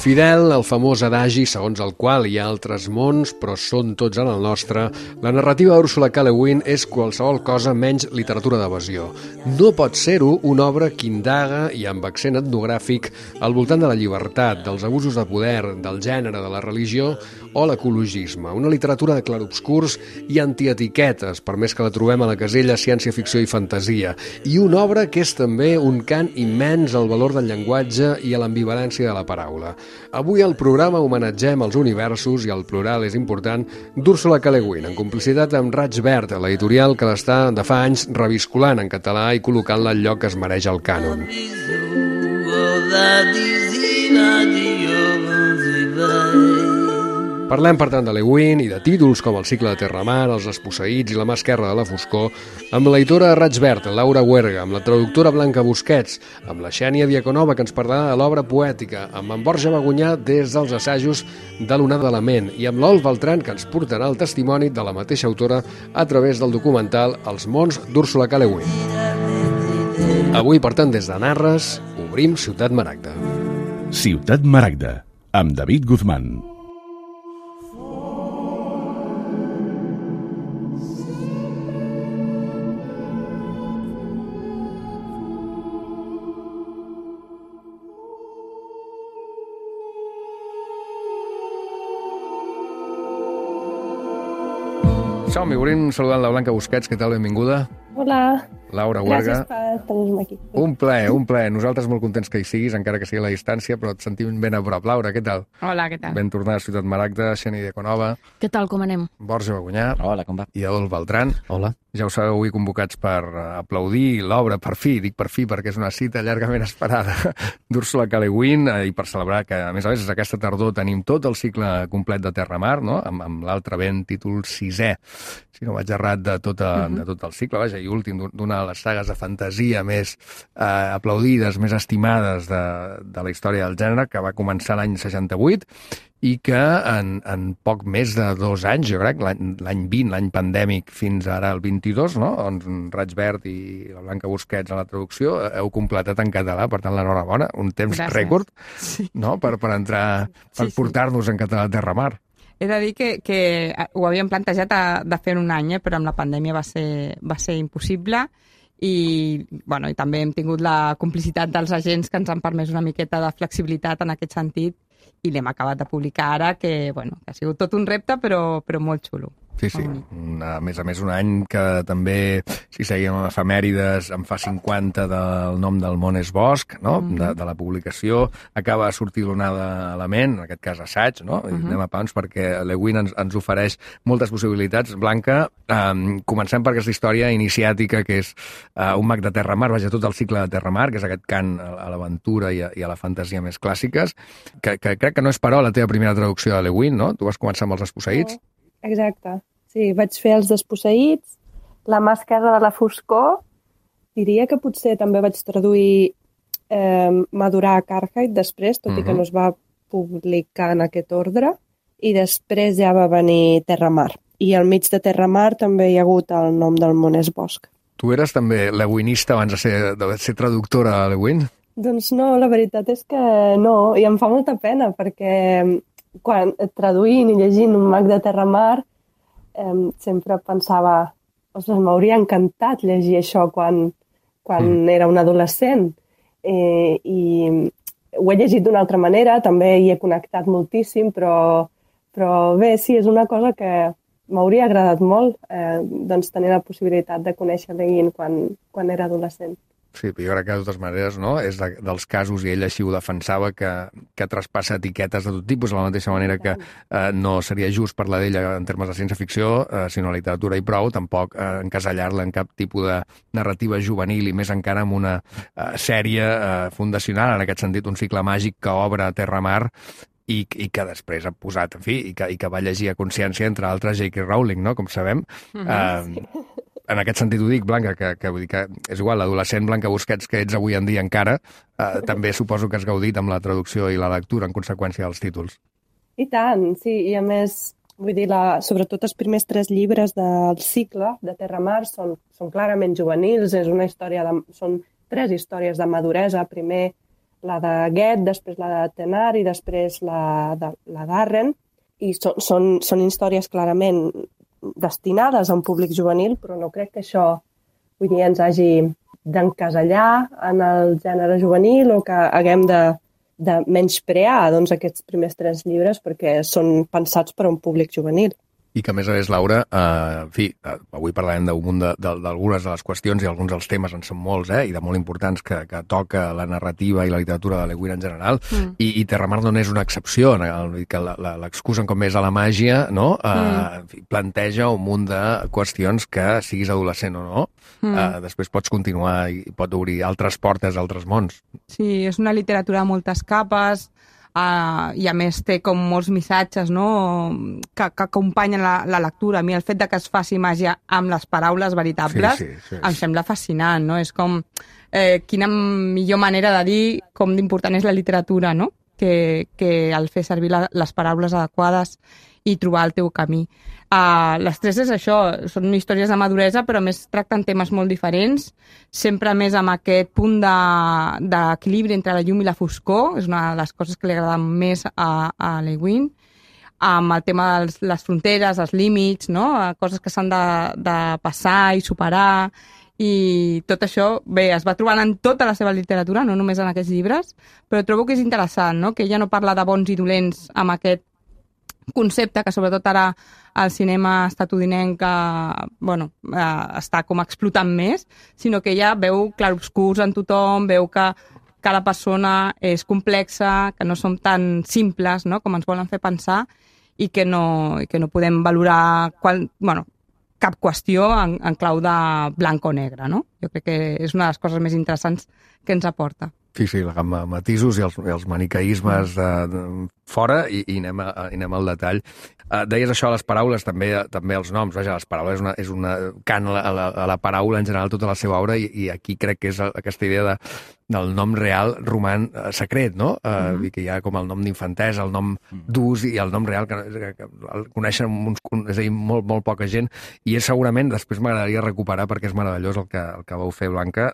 Fidel al famós adagi segons el qual hi ha altres mons, però són tots en el nostre, la narrativa d'Úrsula K. Le Guin és qualsevol cosa menys literatura d'evasió. No pot ser-ho una obra que indaga i amb accent etnogràfic al voltant de la llibertat, dels abusos de poder, del gènere, de la religió o l'ecologisme. Una literatura de clarobscurs i antietiquetes, per més que la trobem a la casella ciència-ficció i fantasia. I una obra que és també un cant immens al valor del llenguatge i a l'ambivalència de la paraula. Avui al programa homenatgem els universos, i el plural és important, d'Úrsula K. Le Guin, en complicitat amb Raig Verd, l'editorial que l'està de fa anys revisculant en català i col·locant-la al lloc que es mereix al cànon. Parlem, per tant, de Le Guin i de títols com El cicle de Terramar, Els desposseïts i La mà esquerra de la foscor, amb l'editora de Raig Verd, Laura Huerga, amb la traductora Blanca Busquets, amb la Xènia Diaconova, que ens parlarà de l'obra poètica, amb en Borja Bagunyà des dels assajos de l'Onada de la Ment i amb l'Ol Beltran, que ens portarà el testimoni de la mateixa autora a través del documental Els mons d'Úrsula K. Le Guin. Avui, per tant, des de Narres, obrim Ciutat Maragda. Ciutat Maragda, amb David Guzmán. Som-hi, obrim saludant la Blanca Busquets. Què tal? Benvinguda. Hola. Laura Huerga. Gràcies per tenir-me aquí. Un plaer. Nosaltres molt contents que hi siguis, encara que sigui a la distància, però et sentim ben a prop. Laura, què tal? Hola, què tal? Ben tornada a Ciutat Maragda, Xènia Diaconova. Què tal, com anem? Borja Bagunyà. Hola, com va? I Adolf Beltran. Hola. Ja ho sabeu, avui convocats per aplaudir l'obra, per fi, dic per fi perquè és una cita llargament esperada, d'Úrsula K. Le Guin, i per celebrar que, a més, aquesta tardor tenim tot el cicle complet de Terramar, no? amb l'altre vent, títol 6è, si no vaig errat, de tot el cicle, vaja, i últim d'una de les sagues de fantasia més aplaudides, més estimades de la història del gènere, que va començar l'any 68, i que en poc més de 2 anys, jo crec, l'any 20, l'any pandèmic, fins ara el 22, no? On Raig Verd i la Blanca Busquets a la traducció heu completat en català, per tant, l'enhorabona, un temps rècord, sí. No? per entrar, per portar-nos en català a Terramar. He de dir que ho havíem plantejat de fer en un any, però amb la pandèmia va ser impossible i també hem tingut la complicitat dels agents que ens han permès una miqueta de flexibilitat en aquest sentit i l'hem acabat de publicar ara, que ha sigut tot un repte, però molt xulo. Sí. A més, un any que també, si seguim amb efemèrides, en fa 50 del nom del món és bosc, no? De la publicació. Acaba de sortir l'Onada a la Ment, en aquest cas assaig, no? I anem a pams perquè Le Guin ens ofereix moltes possibilitats. Blanca, comencem per aquesta història iniciàtica que és un mag de Terramar, vaja, tot el cicle de Terramar, que és aquest cant a l'aventura i a la fantasia més clàssiques, que crec que no és però la teva primera traducció de Le Guin, no? Tu vas començar amb Els desposseïts. Exacte. Sí, vaig fer Els desposseïts, La mà esquerra de la foscor, diria que potser també vaig traduir Madurar Carthaig després, tot i que no es va publicar en aquest ordre, i després ja va venir Terramar. I al mig de Terramar també hi ha hagut el nom del món és bosc. Tu eres també leguinista abans de ser traductora de Le Guin? Doncs no, la veritat és que no, i em fa molta pena, perquè quan traduint i llegint un mag de Terramar sempre pensava, ostres, m'hauria encantat llegir això quan era un adolescent. I ho he llegit d'una altra manera, també hi he connectat moltíssim, però bé, sí, és una cosa que m'hauria agradat molt tenir la possibilitat de conèixer Le Guin quan era adolescent. Sí, jo crec que de totes maneres, no? És dels casos, i ell així ho defensava, que traspassa etiquetes de tot tipus, de la mateixa manera que no seria just parlar d'ella en termes de ciència-ficció, sinó literatura i prou, tampoc encasellar-la en cap tipus de narrativa juvenil i més encara amb una sèrie fundacional, en aquest sentit, un cicle màgic que obre Terramar i que després ha posat, en fi, i que va llegir a consciència, entre altres, J.K. Rowling, no?, com sabem. En aquest sentit ho dic, Blanca, que vull dir que és igual, l'adolescent Blanca Busquets que ets avui en dia encara, també suposo que has gaudit amb la traducció i la lectura en conseqüència dels títols. I tant, sí, i a més, vull dir, sobretot els primers 3 llibres del cicle de Terramar són clarament juvenils, són 3 històries de maduresa. Primer, la de Goethe, després la de Tenard i després la d'Arren, i són històries clarament destinades a un públic juvenil, però no crec que això ens hagi d'encasellar en el gènere juvenil o que haguem de menysprear aquests primers 3 llibres perquè són pensats per a un públic juvenil. I que, a més, Laura, en fi, avui parlarem d'algunes de les qüestions i alguns dels temes en són molts, i de molt importants que toca la narrativa i la literatura de Le Guin en general, i Terramar no és una excepció, que l'excusen com més a la màgia, no? En fi, planteja un munt de qüestions que, siguis adolescent o no, després pots continuar i pot obrir altres portes a altres mons. Sí, és una literatura de moltes capes, i a més té com molts missatges, no?, que acompanyen la lectura. A mi el fet de que es faci màgia amb les paraules veritables em sembla fascinant, no? És com quina millor manera de dir com d'important és la literatura, no?, que el fer servir les paraules adequades i trobar el teu camí. Les 3 és això, són històries de maduresa, però a més tracten temes molt diferents, sempre més amb aquest punt d'equilibri entre la llum i la foscor, és una de les coses que li agraden més a Le Guin, amb el tema de les fronteres, els límits, no?, coses que s'han de passar i superar, i tot això, bé, es va trobant en tota la seva literatura, no només en aquests llibres, però trobo que és interessant, no?, que ella no parla de bons i dolents amb aquest concepte que sobretot ara el cinema estatudinenc està com explotant més, sinó que ella veu clarobscurs en tothom, veu que cada persona és complexa, que no som tan simples, no?, com ens volen fer pensar, i que no podem valorar cap qüestió en clau de blanc o negre, no? Jo crec que és una de les coses més interessants que ens aporta. Sí, la gamma matisos i els maniqueismes fora i anem al detall. Deies això a les paraules, també els noms. Vaja, les paraules és una cant a la paraula en general tota la seva obra i aquí crec que és aquesta idea del nom real roman secret, no? Que hi ha com el nom d'infantesa, el nom d'ús i el nom real que el coneixen és a dir, molt, molt poca gent, i és segurament, després m'agradaria recuperar perquè és meravellós el que vau fer, Blanca,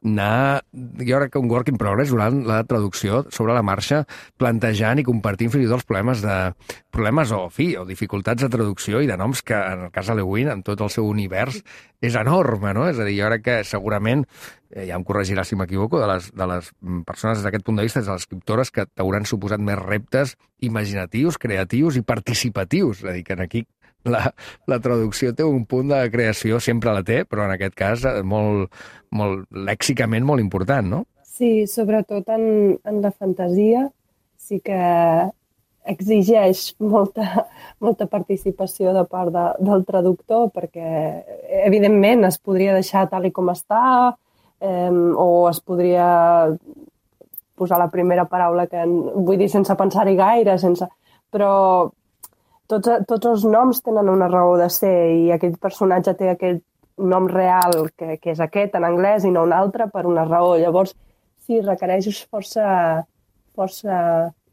jo crec que un work in progress durant la traducció sobre la marxa, plantejant i compartint fins i tot els problemes o dificultats de traducció i de noms que, en el cas de Le Guin, en tot el seu univers, és enorme, no? És a dir, jo crec que segurament, ja em corregirà si m'equivoco, de les persones des d'aquest punt de vista, de les escriptores que t'hauran suposat més reptes imaginatius, creatius i participatius. És a dir, que aquí la traducció té un punt de creació, sempre la té, però en aquest cas molt lèxicament molt important, no? Sí, sobretot en la fantasia sí que exigeix molta participació de part del traductor perquè, evidentment, es podria deixar tal i com està o es podria posar la primera paraula que... Vull dir, sense pensar-hi gaire, però tots els noms tenen una raó de ser i aquell personatge té aquell nom real que és aquest en anglès i no un altre per una raó. Llavors, sí, requereix força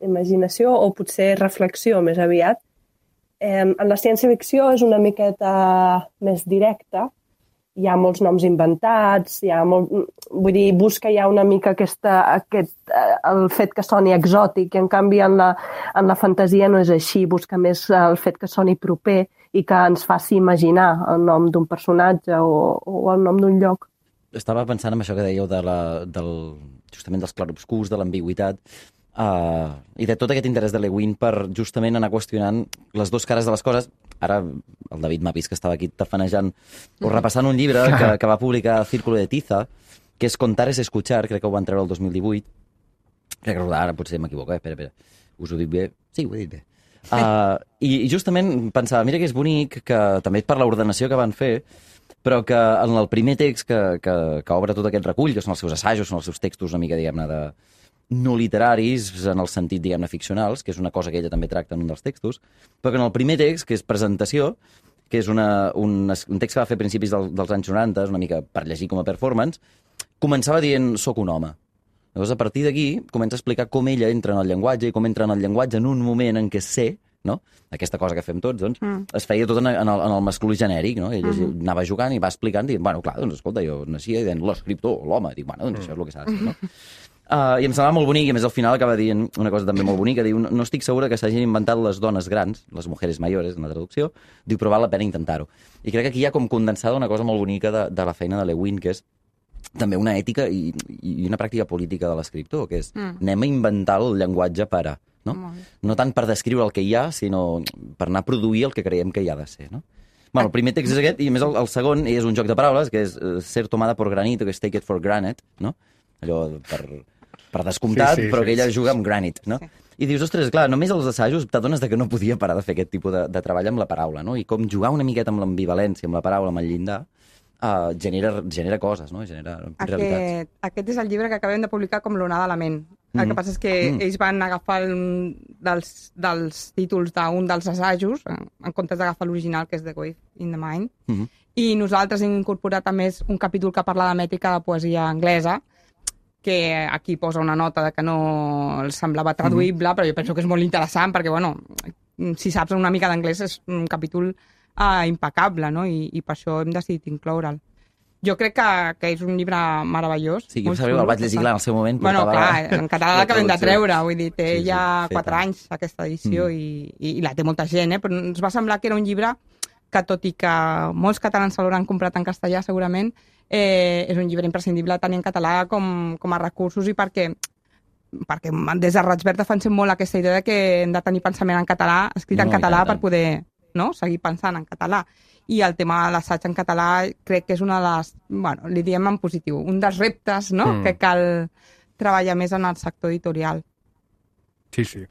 imaginació o potser reflexió més aviat. En la ciència-ficció és una miqueta més directa. Hi ha molts noms inventats, vull dir, busca ja una mica el fet que soni exòtic i en canvi en la fantasia no és així, busca més el fet que soni proper i que ens faci imaginar el nom d'un personatge o el nom d'un lloc. Estava pensant en això que dèieu justament dels clarobscurs, de l'ambigüitat, i de tot aquest interès de Le Guin per justament anar qüestionant les dues cares de les coses. Ara el David m'ha vist que estava aquí tafanejant o repassant un llibre que va publicar Círculo de Tiza, que és Contar es escuchar, crec que ho van treure el 2018. Crec que ara potser m'equivoco, espera. Us ho dic bé? Sí, ho he dit bé. I justament pensava, mira que és bonic, que també per l'ordenació que van fer, però que en el primer text que obre tot aquest recull, que són els seus assajos, són els seus textos una mica, diguem-ne, no literaris, en el sentit, diguem-ne, ficcionals, que és una cosa que ella també tracta en un dels textos, però que en el primer text, que és presentació, que és un text que va fer a principis dels anys 90, una mica per llegir com a performance, començava dient «soc un home». Llavors, a partir d'aquí, comença a explicar com ella entra en el llenguatge i com entra en el llenguatge en un moment en què sé, no? Aquesta cosa que fem tots, doncs, es feia tot en el masculí genèric, no? Ella anava jugant i va explicant, dient, bueno, clar, doncs, escolta, jo naixia i deien l'escriptor, l'home, dic, bueno, doncs això és el que s'ha de ser, no? I em semblava molt bonic, i a més al final acaba dient una cosa també molt bonica, diu, no estic segura que s'hagin inventat les dones grans, les mujeres mayores, en la traducció, diu, però val la pena intentar-ho. I crec que aquí hi ha com condensada una cosa molt bonica de la feina de Le Guin, que és també una ètica i una pràctica política de l'escriptor, que és anem a inventar el llenguatge per a, no? No tant per descriure el que hi ha, sinó per anar a produir el que creiem que hi ha de ser, no? Bueno, el primer text és aquest, i a més el segon és un joc de paraules, que és ser tomada por granito, que és take it for granted, no? Allò per descomptat, però que ella juga amb granite, no? I dius, ostres, clar, només als assajos t'adones que no podia parar de fer aquest tipus de treball amb la paraula, no? I com jugar una miqueta amb l'ambivalència, amb la paraula, amb el llindar, genera coses, no? Genera realitats. Aquest és el llibre que acabem de publicar com l'onada de la ment. El que passa és que ells van agafar dels títols d'un dels assajos, en comptes d'agafar l'original, que és The Wave in the Mind, i nosaltres hem incorporat a més un capítol que parla de mètrica de poesia anglesa, que aquí posa una nota de que no els semblava traduïble, però jo penso que és molt interessant, perquè, bueno, si saps una mica d'anglès és un capítol impecable, no? I per això hem decidit incloure'l. Jo crec que és un llibre meravellós. Sí, jo el vaig llegir clar en el seu moment. Bueno, clar, en català l'acabem de treure, vull dir, té ja 4 anys aquesta edició i la té molta gent, però ens va semblar que era un llibre que, tot i que molts catalans se l'hauran comprat en castellà, segurament, és un llibre imprescindible tant en català com a recursos, i perquè des de Raig Verd defensem molt aquesta idea de que hem de tenir pensament en català, escrit en català, per poder seguir pensant en català. I el tema de l'assaig en català crec que és una de les, bueno, li diem en positiu, un dels reptes que cal treballar més en el sector editorial. Sí, sí.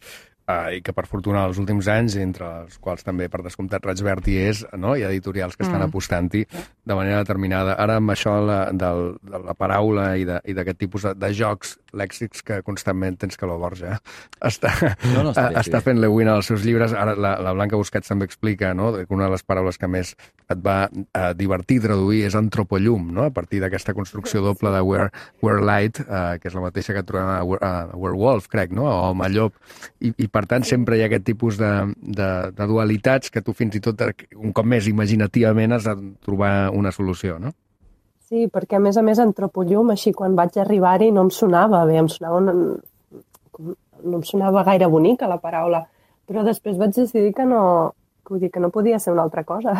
I que per fortuna els últims anys, entre els quals també per descomptat Raig Verd hi és, no? Hi ha editorials que estan apostant-hi de manera determinada. Ara amb això de la paraula i d'aquest tipus de jocs lèxics que constantment tens que la Borja està fent Le Guin als seus llibres. Ara la Blanca Busquets també explica, no?, que una de les paraules que més et va divertir traduir és antropollum, no?, a partir d'aquesta construcció doble de Werelight, que és la mateixa que trobem a Werewolf, crec, no?, o Home Llop, i per tant sempre hi ha aquest tipus de dualitats que tu fins i tot, un cop més imaginativament, has de trobar una solució, no? Sí, perquè a més antropollum, així quan vaig arribar-hi no em sonava bé, no em sonava gaire bonica la paraula, però després vaig decidir que no podia ser una altra cosa,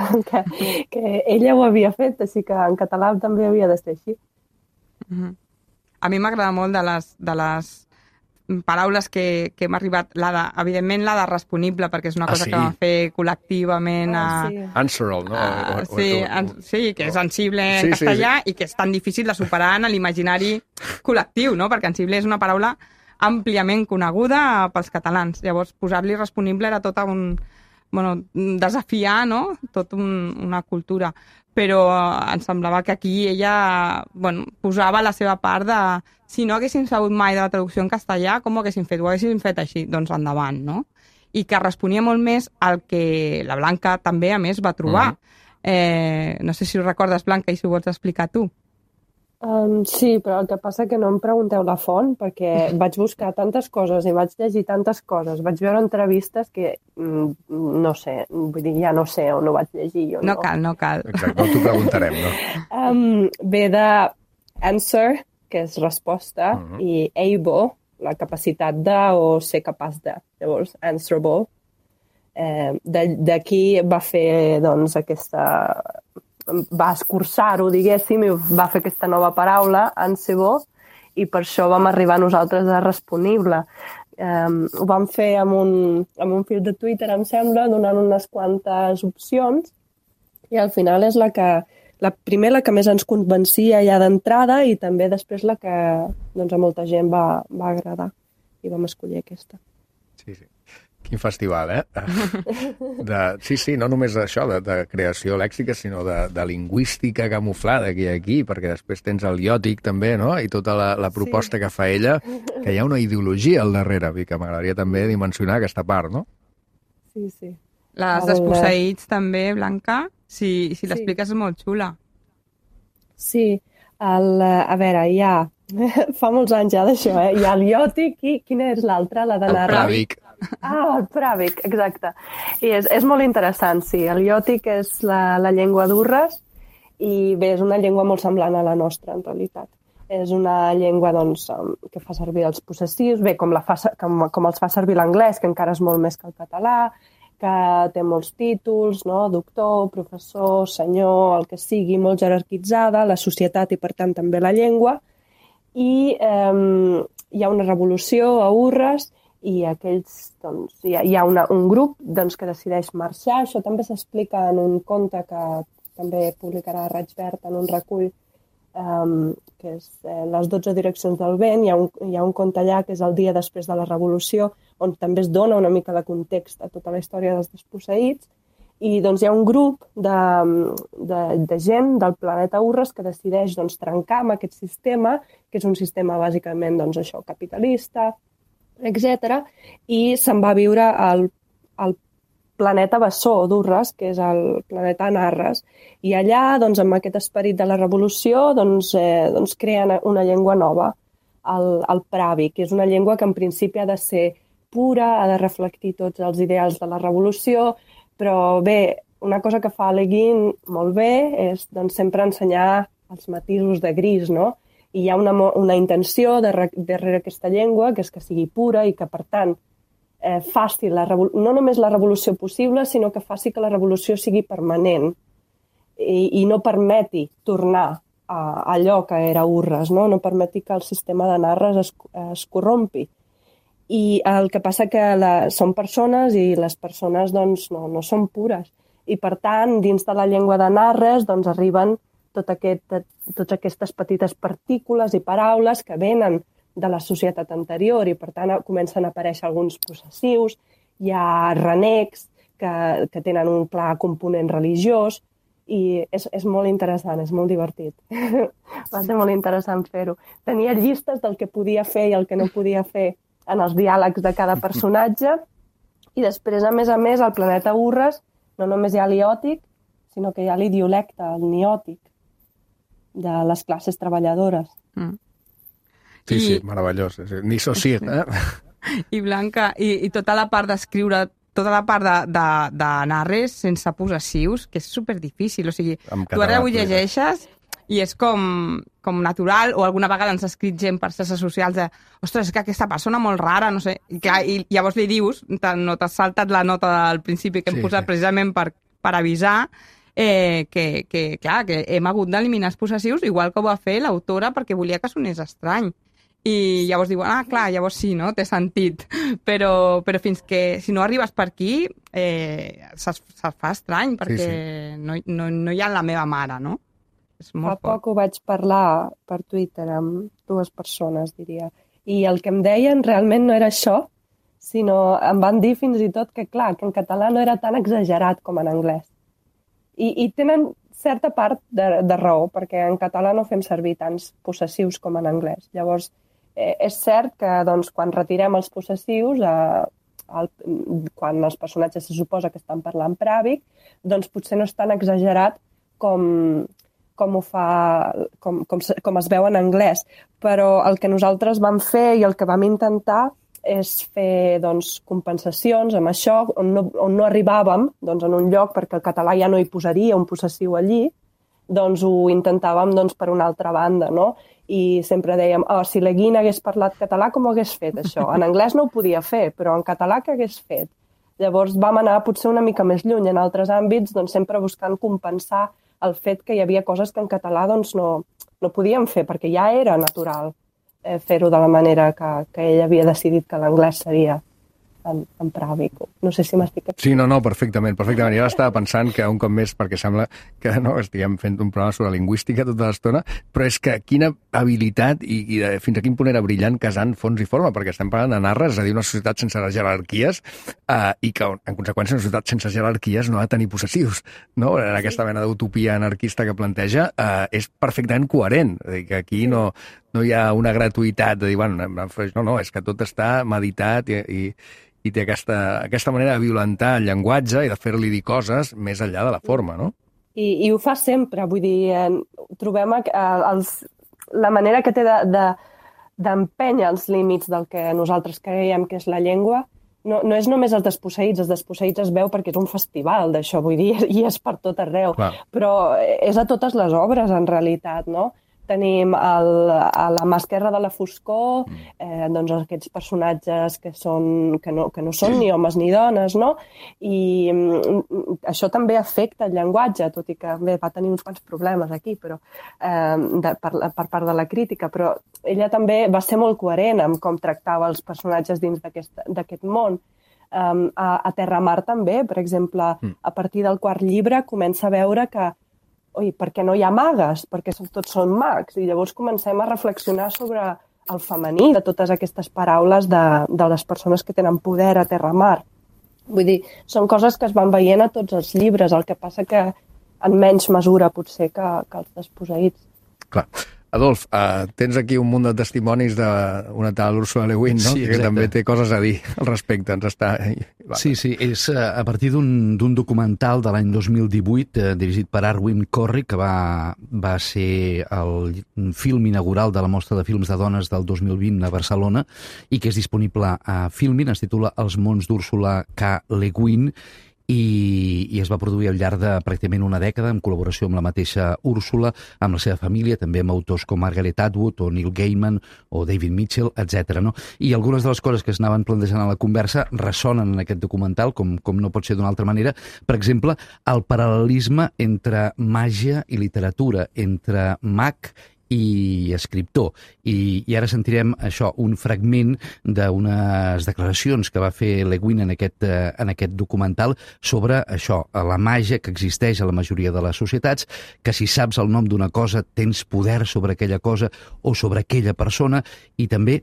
que ella ho havia fet, així que en català també havia de ser així. A mi m'agrada molt de les paraules que hem arribat, evidentment la de responible, perquè és una cosa que vam fer col·lectivament. Answerable, no? Sí, que és sensible en castellà i que és tan difícil de superar en l'imaginari col·lectiu, no? Perquè sensible és una paraula àmpliament coneguda pels catalans. Llavors, posar-li responible era tot desafiar, no?, tot una cultura. Però em semblava que aquí ella posava la seva part de si no haguéssim sabut mai de la traducció en castellà, com ho haguéssim fet? Ho haguéssim fet així? Doncs endavant, no? I que responia molt més al que la Blanca també, a més, va trobar. No sé si ho recordes, Blanca, i si ho vols explicar tu. Sí, però el que passa que no em pregunteu la font, perquè vaig buscar tantes coses i vaig llegir tantes coses, vaig veure entrevistes que no sé, vull dir, ja no sé on ho vaig llegir. No cal. Exacte, no t'ho preguntarem, no? Ve de answer, que és resposta, i able, la capacitat de o ser capaç de. Llavors, answerable. D'aquí va fer, doncs, va escurçar-ho, diguéssim, i va fer aquesta nova paraula, answerable, i per això vam arribar nosaltres a responible. Ho vam fer amb un fil de Twitter, em sembla, donant unes quantes opcions, i al final és la que més ens convencia ja d'entrada, i també després la que doncs, a molta gent va agradar, i vam escollir aquesta. Sí. Quin festival, Sí, no només això, de creació lèxica, sinó de lingüística camuflada que hi ha aquí, perquè després tens el iòtic també, no?, i tota la proposta que fa ella, que hi ha una ideologia al darrere, i que m'agradaria també dimensionar aquesta part, no? Sí. Les desposseïts també, Blanca, si l'expliques és molt xula. Sí, a veure, fa molts anys ja d'això, hi ha el iòtic i quina és l'altra, la de narrar? El pràvic. El pràvic, exacte. I és molt interessant, sí. El iòtic és la llengua d'Urres i bé, és una llengua molt semblant a la nostra, en realitat. és una llengua doncs, que fa servir els possessius, bé, com els fa servir l'anglès, que encara és molt més que el català, que té molts títols, no? Doctor, professor, senyor, el que sigui, molt jerarquitzada, la societat i, per tant, també la llengua. I hi ha una revolució a Urres i aquells, doncs, hi ha un grup doncs, que decideix marxar. Això també s'explica en un conte que també publicarà Raig Verd en un recull que és Les 12 direccions del vent. Hi ha un conte allà que és el dia després de la revolució, on també es dona una mica de context a tota la història dels desposseïts. I doncs, hi ha un grup de gent del planeta Urres que decideix doncs, trencar amb aquest sistema, que és un sistema bàsicament doncs, això, capitalista, etc. I se'n va viure al planeta Bessó d'Urres, que és el planeta Narres. I allà, doncs, amb aquest esperit de la revolució, doncs creen una llengua nova, el pravi, que és una llengua que en principi ha de ser pura, ha de reflectir tots els ideals de la revolució, però bé, una cosa que fa Le Guin molt bé és doncs, sempre ensenyar els matisos de gris, no? I hi ha una intenció darrere aquesta llengua, que és que sigui pura i que, per tant, faci no només la revolució possible, sinó que faci que la revolució sigui permanent i no permeti tornar a allò que era Urres, no permeti que el sistema de Narres es corrompi. I el que passa que són persones i les persones doncs, no són pures. I per tant, dins de la llengua de Narres doncs, arriben totes aquestes petites partícules i paraules que venen de la societat anterior i per tant comencen a aparèixer alguns possessius, hi ha renecs que tenen un clar component religiós i és molt interessant, és molt divertit. Va ser molt interessant fer-ho. Tenia llistes del que podia fer i el que no podia fer en els diàlegs de cada personatge i després, a més, al planeta Urres no només hi ha l'iòtic, sinó que hi ha l'idiolecte, el niòtic, de les classes treballadores. Sí, meravellós. Ni societ, I Blanca, i tota la part d'escriure, tota la part de Narres sense possessius, que és superdifícil. O sigui, tu ara ho llegeixes i és com natural, o alguna vegada ens ha escrit gent per xarxes socials de ostres, és que aquesta persona molt rara, no sé, i llavors li dius, no t'has saltat la nota del principi que hem posat precisament per avisar que hem hagut d'eliminar els possessius, igual que ho va fer l'autora perquè volia que sonés estrany. I llavors diuen, clar, llavors sí, no? Té sentit. Però fins que, si no arribes per aquí, se'ls fa estrany, perquè no hi ha la meva mare, no? Fa poc ho vaig parlar per Twitter amb 2 persones, diria. I el que em deien realment no era això, sinó em van dir fins i tot que, clar, que en català no era tan exagerat com en anglès. I tenen certa part de raó, perquè en català no fem servir tants possessius com en anglès. Llavors, és cert que doncs, quan retirem els possessius, quan els personatges se suposa que estan parlant pràvic, doncs potser no és tan exagerat com es veu en anglès. Però el que nosaltres vam fer i el que vam intentar és fer doncs, compensacions amb això, on no arribàvem doncs, en un lloc, perquè el català ja no hi posaria un possessiu allí, doncs ho intentàvem doncs, per una altra banda, no? I sempre dèiem, si Le Guin hagués parlat català, com ho hagués fet això? En anglès no ho podia fer, però en català què hagués fet? Llavors vam anar potser una mica més lluny en altres àmbits, doncs, sempre buscant compensar el fet que hi havia coses que en català doncs, no podíem fer, perquè ja era natural fer-ho de la manera que ell havia decidit que l'anglès seria en pràvic. No sé si m'estic... Sí, no, perfectament. Jo ara estava pensant que un cop més, perquè sembla que no estiguem fent un programa sobre lingüística tota l'estona, però és que quina habilitat i fins a quin punt era brillant casant fons i forma, perquè estem parlant de Narres, és a dir, una societat sense jerarquies i que, en conseqüència, una societat sense jerarquies no ha de tenir possessius, no? En aquesta mena d'utopia anarquista que planteja és perfectament coherent. És a dir, que aquí no hi ha una gratuïtat de dir, bueno, no, és que tot està meditat i té aquesta manera de violentar el llenguatge i de fer-li dir coses més enllà de la forma, no? I ho fa sempre, vull dir, trobem la manera que té d'empènyer els límits del que nosaltres creiem que és la llengua, no és només els desposseïts es veu perquè és un festival d'això, vull dir, i és per tot arreu, clar. Però és a totes les obres, en realitat, no? tenim a la mà esquerra de la foscor, doncs aquests personatges que no són ni homes ni dones, no? I això també afecta el llenguatge, tot i que va tenir uns quants problemes aquí, però per part de la crítica, però ella també va ser molt coherent amb com tractava els personatges dins d'aquest món. A Terramar també, per exemple, a partir del quart llibre comença a veure que per què no hi ha magues? Perquè tots són mags. I llavors comencem a reflexionar sobre el femení de totes aquestes paraules de les persones que tenen poder a Terramar. Vull dir, són coses que es van veient a tots els llibres, el que passa que en menys mesura potser que els desposseïts. Clar. Adolf, tens aquí un munt de testimonis d'una tal Úrsula Le Guin, no? Sí, que també té coses a dir al respecte. Sí, és a partir d'un documental de l'any 2018 dirigit per Arwin Corry, que va ser el film inaugural de la Mostra de Films de Dones del 2020 a Barcelona i que és disponible a Filmin, es titula Els mons d'Úrsula K. Le Guin, i es va produir al llarg de pràcticament una dècada en col·laboració amb la mateixa Úrsula, amb la seva família, també amb autors com Margaret Atwood o Neil Gaiman o David Mitchell, etc. No? I algunes de les coses que es anaven plantejant a la conversa ressonen en aquest documental, com no pot ser d'una altra manera. Per exemple, el paral·lelisme entre màgia i literatura, entre mag i escriptor. I ara sentirem això, un fragment d'unes declaracions que va fer Le Guin en aquest documental sobre això, la màgia que existeix a la majoria de les societats, que si saps el nom d'una cosa tens poder sobre aquella cosa o sobre aquella persona, i també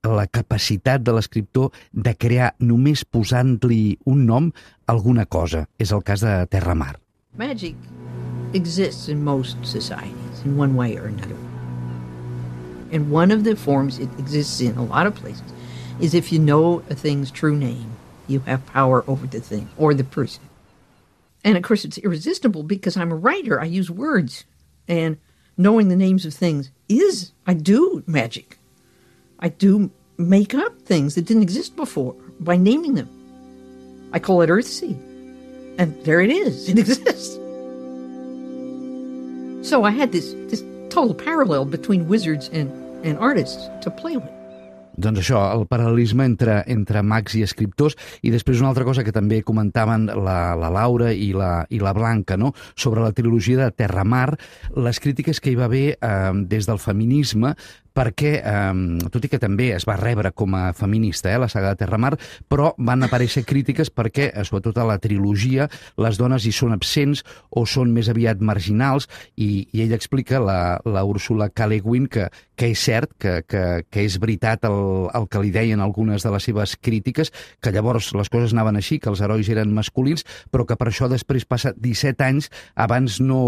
la capacitat de l'escriptor de crear només posant-li un nom alguna cosa. És el cas de Terramar. Magic exists in most societies in one way or another. And one of the forms it exists in a lot of places is if you know a thing's true name, you have power over the thing or the person. And of course it's irresistible because I'm a writer, I use words. And knowing the names of things I do magic. I do make up things that didn't exist before by naming them. I call it Earthsea. And there it is, it exists. So I had this total parallel between wizards and artists to play with. Doncs això, el paral·lelisme entre mags i escriptors, i després una altra cosa que també comentaven la Laura i la Blanca, no? Sobre la trilogia de Terramar, les crítiques que hi va haver des del feminisme, perquè, tot i que també es va rebre com a feminista, la saga de Terramar, però van aparèixer crítiques perquè, sobretot a la trilogia, les dones hi són absents o són més aviat marginals, i ella explica, la Úrsula K. Le Guin, que és cert, que és veritat el que li deien algunes de les seves crítiques, que llavors les coses anaven així, que els herois eren masculins, però que per això després passa 17 anys abans no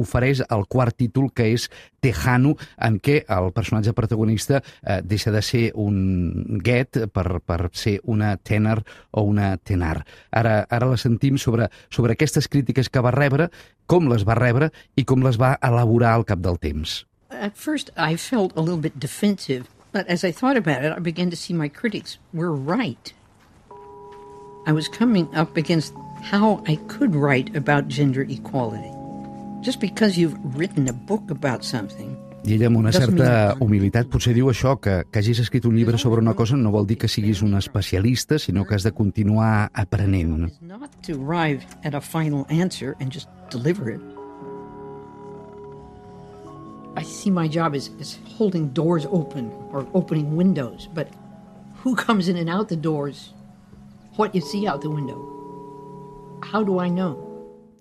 ofereix el quart títol, que és Tejano, en què el personatge protagonista deixa de ser un guet per ser una tenor o una tenar. Ara la sentim sobre aquestes crítiques que va rebre, com les va rebre i com les va elaborar al cap del temps. At first I felt a little bit defensive, but as I thought about it, I began to see my critics were right. I was coming up against how I could write about gender equality. Just because you've written a book about something. I ella, amb una certa humilitat, potser diu això, que hagis escrit un llibre sobre una cosa no vol dir que siguis un especialista, sinó que has de continuar aprenent. It's not to arrive at a final answer and just deliver it. I see my job as holding doors open or opening windows, but who comes in and out the doors? What you see out the window? How do I know?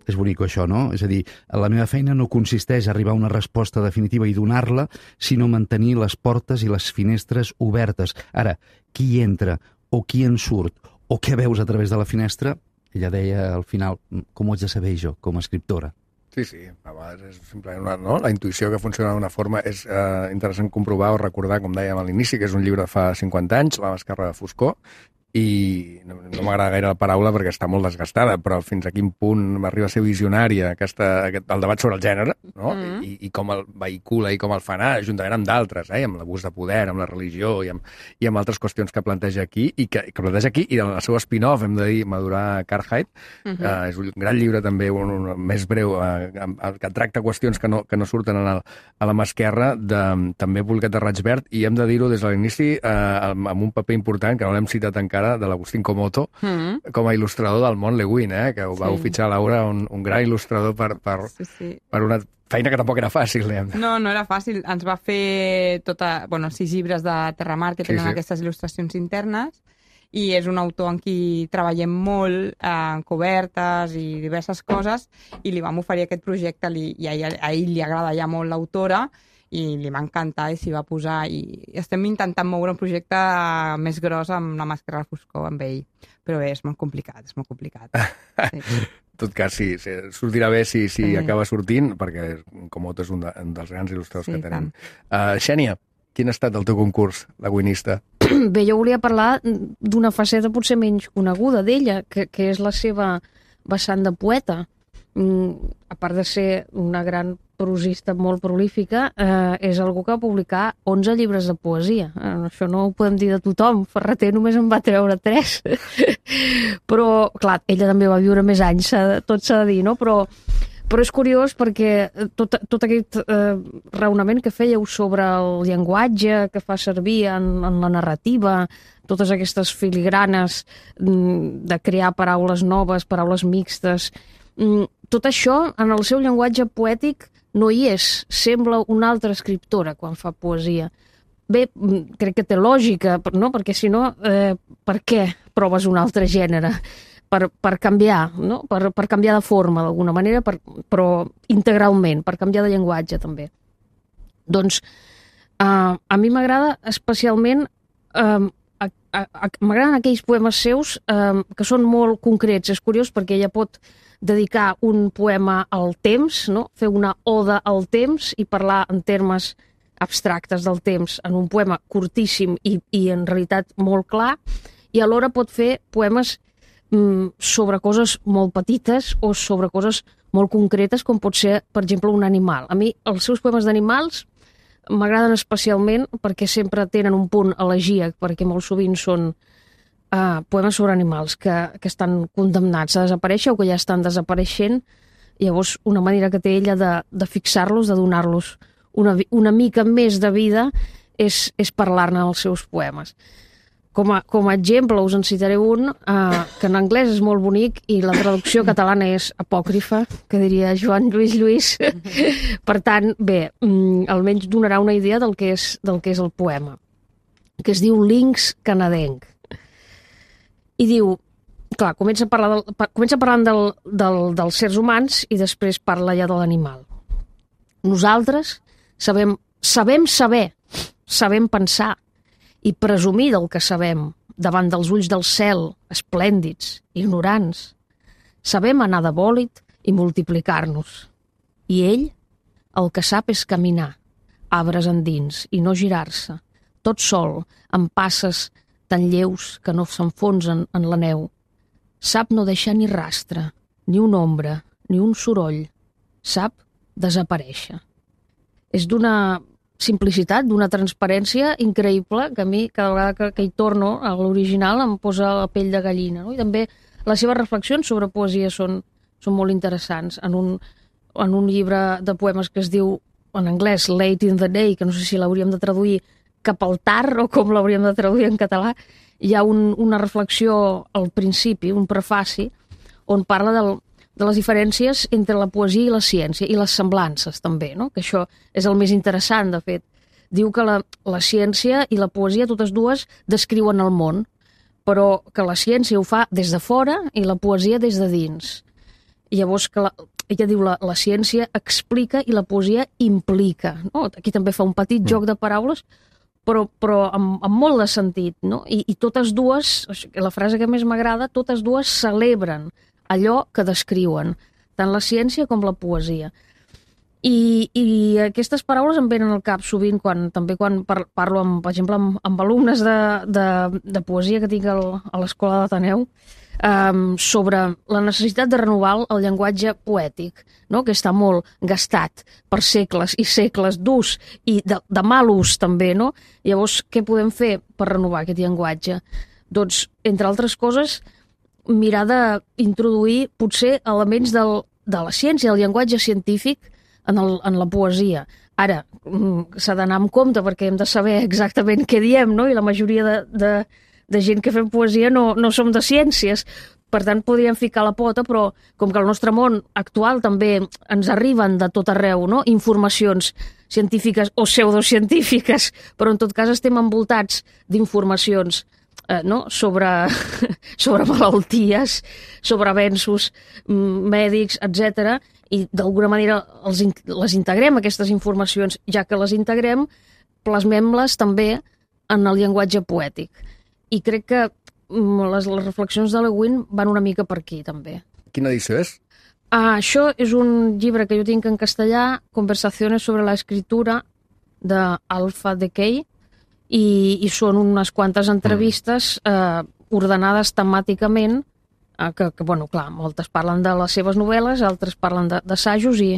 És bonic això, no? És a dir, la meva feina no consisteix a arribar a una resposta definitiva i donar-la, sinó mantenir les portes i les finestres obertes. Ara, qui hi entra o qui en surt o què veus a través de la finestra, ella deia al final, com ho haig de saber jo, com a escriptora? Sí, a vegades és simplement la intuïció que funciona d'una forma. És interessant comprovar o recordar, com dèiem a l'inici, que és un llibre de fa 50 anys, La mascarra de foscor, i no m'agrada gaire la paraula perquè està molt desgastada, però fins a quin punt arriba a ser visionària el debat sobre el gènere, no? I com el vehicula i com el fa anar, juntament amb d'altres, amb l'abús de poder, amb la religió i amb altres qüestions que planteja aquí, i en el seu spin-off, hem de dir, Madurar Cartwright, és un gran llibre també, un més breu, que tracta qüestions que no surten a la mà esquerra, també publicat de Raig Verd, i hem de dir-ho des de l'inici, amb un paper important, que no l'hem citat encara, de l'Agustín Comoto, com a il·lustrador del món Le Guin, que ho vau fitxar, Laura, un gran il·lustrador per una feina que tampoc era fàcil, diguem. No era fàcil. Ens va fer 6 llibres de Terramar que tenen aquestes il·lustracions internes, i és un autor amb qui treballem molt en cobertes i diverses coses, i li vam oferir aquest projecte, i a ell li agrada ja molt l'autora, i li va encantar i s'hi va posar, i estem intentant moure un projecte més gros amb La màscara de foscor amb ell, però és molt complicat, Sí. En tot cas, sí, sortirà bé si acaba sortint, perquè Comoto és un dels grans il·lustradors que tenim. Xènia, quin ha estat el teu concurs, La Guinista? Bé, jo volia parlar d'una faceta potser menys coneguda d'ella, que és la seva vessant de poeta. A part de ser una gran prosista molt prolífica, és algú que va publicar 11 llibres de poesia. Això no ho podem dir de tothom. Ferreter només en va treure 3. Però, clar, ella també va viure més anys, tot s'ha de dir, no? Però és curiós perquè tot aquest raonament que fèieu sobre el llenguatge que fa servir en la narrativa, totes aquestes filigranes de crear paraules noves, paraules mixtes, tot això en el seu llenguatge poètic no hi és, sembla una altra escriptora quan fa poesia. Bé, crec que té lògica, no? Perquè si no, per què proves un altre gènere? Per canviar, no? Per canviar de forma, d'alguna manera, però integralment, per canviar de llenguatge, també. Doncs a mi m'agrada especialment, m'agraden aquells poemes seus que són molt concrets. És curiós perquè ella pot dedicar un poema al temps, no? Fer una oda al temps i parlar en termes abstractes del temps en un poema curtíssim i en realitat molt clar, i alhora pot fer poemes sobre coses molt petites o sobre coses molt concretes, com pot ser, per exemple, un animal. A mi els seus poemes d'animals m'agraden especialment perquè sempre tenen un punt elegíac, perquè molt sovint són poemes sobre animals que estan condemnats a desaparèixer o que ja estan desapareixent. Llavors, una manera que té ella de fixar-los, de donar-los una mica més de vida, és parlar-ne als seus poemes. Com a exemple, us en citaré un que en anglès és molt bonic i la traducció catalana és apòcrifa, que diria Joan Lluís. Per tant, bé, almenys donarà una idea del que és el poema, que es diu Linx canadenc. I diu, clar, comença parlant dels sers humans i després parla ja de l'animal. Nosaltres sabem pensar i presumir del que sabem davant dels ulls del cel, esplèndids, ignorants. Sabem anar de bòlit i multiplicar-nos. I ell el que sap és caminar, arbres endins, i no girar-se, tot sol, amb passes tan lleus que no s'enfonsen en la neu. Sap no deixar ni rastre, ni una ombra, ni un soroll. Sap desaparèixer. És d'una simplicitat, d'una transparència increïble, que a mi cada vegada que hi torno a l'original em posa la pell de gallina. No? I també les seves reflexions sobre poesia són molt interessants. En un llibre de poemes que es diu, en anglès, Late in the Day, que no sé si l'hauríem de traduir cap al tard o com l'hauríem de traduir en català, hi ha una reflexió al principi, un prefaci, on parla de les diferències entre la poesia i la ciència, i les semblances també, no? Que això és el més interessant, de fet. Diu que la ciència i la poesia, totes dues, descriuen el món, però que la ciència ho fa des de fora i la poesia des de dins. I llavors ella diu la ciència explica i la poesia implica. No? Aquí també fa un petit joc de paraules, però amb molt de sentit, no? I totes dues, la frase que més m'agrada, totes dues celebren allò que descriuen, tant la ciència com la poesia. I aquestes paraules em venen al cap sovint quan parlo, per exemple, amb alumnes de poesia que tinc a l'Escola d'Ateneu, sobre la necessitat de renovar el llenguatge poètic, no? Que està molt gastat per segles i segles d'ús i de mal ús també, no? Llavors, què podem fer per renovar aquest llenguatge? Doncs, entre altres coses, mirar d'introduir potser elements de la ciència, del llenguatge científic en la poesia. Ara, s'ha d'anar amb compte perquè hem de saber exactament què diem, no? I la majoria de gent que fem poesia no som de ciències. Per tant, podríem ficar la pota, però com que al nostre món actual també ens arriben de tot arreu, no? Informacions científiques o pseudocientífiques, però en tot cas estem envoltats d'informacions no? sobre malalties, sobre avenços mèdics, etc. I d'alguna manera les integrem, aquestes informacions, ja que les integrem, plasmem-les també en el llenguatge poètic. I crec que les reflexions de Le Guin van una mica per aquí, també. Quina edició és? Això és un llibre que jo tinc en castellà, Conversaciones sobre la escritura, d'Alpha Decay, i són unes quantes entrevistes ordenades temàticament, que, bueno, clar, moltes parlen de les seves novel·les, altres parlen d'assajos i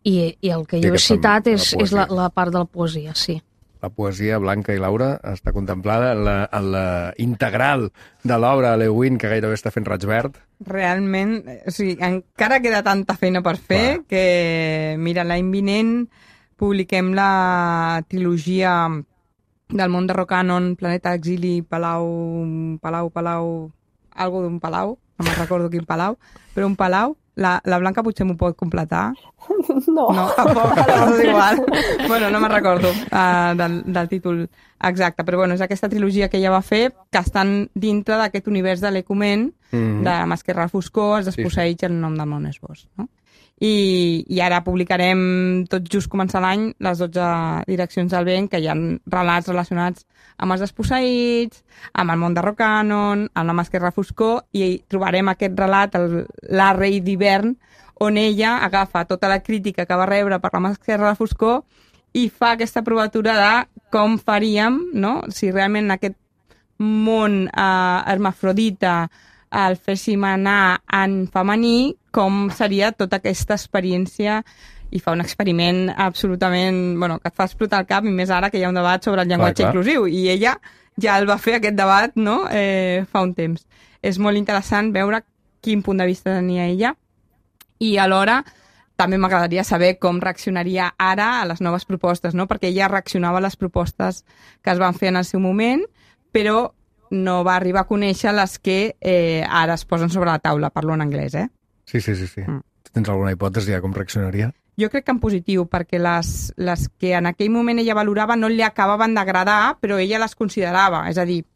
el que jo he citat és la part de la poesia, sí. La poesia, Blanca i Laura, està contemplada en la integral de l'obra de Le Guin, que gairebé està fent raig verd. Realment, o sigui, encara queda tanta feina per fer que, mira, l'any vinent publiquem la trilogia del món de Rocanon, Planeta Exili, Palau, algo d'un palau, no me'n recordo quin palau, però un palau. La Blanca potser m'ho pot completar. No. No, tampoc, és igual. Bueno, no me'n recordo del títol exacte, però bueno, és aquesta trilogia que ella va fer, que estan dintre d'aquest univers de l'Ecumen, de Masquerra al Foscor, Els desposseïts i El nom del món és vos, no? I ara publicarem, tot just començar l'any, les 12 direccions del vent, que hi ha relats relacionats amb els desposseïts, amb el món de Rocanon, amb la Masquerra Foscor, i trobarem aquest relat, La rei d'hivern, on ella agafa tota la crítica que va rebre per la Masquerra Foscor i fa aquesta provatura de com faríem, no? Si realment aquest món hermafrodita el féssim anar en femení, com seria tota aquesta experiència, i fa un experiment absolutament, bueno, que et fa explotar el cap, i més ara que hi ha un debat sobre el llenguatge inclusiu, i ella ja el va fer aquest debat, no?, fa un temps. És molt interessant veure quin punt de vista tenia ella, i alhora també m'agradaria saber com reaccionaria ara a les noves propostes, no?, perquè ella reaccionava a les propostes que es van fer en el seu moment, però no va arribar a conèixer les que ara es posen sobre la taula. Parlo en anglès, Sí. Tu tens alguna hipòtesi de com reaccionaria? Jo crec que en positiu, perquè les que en aquell moment ella valorava no li acabaven d'agradar, però ella les considerava. És a dir,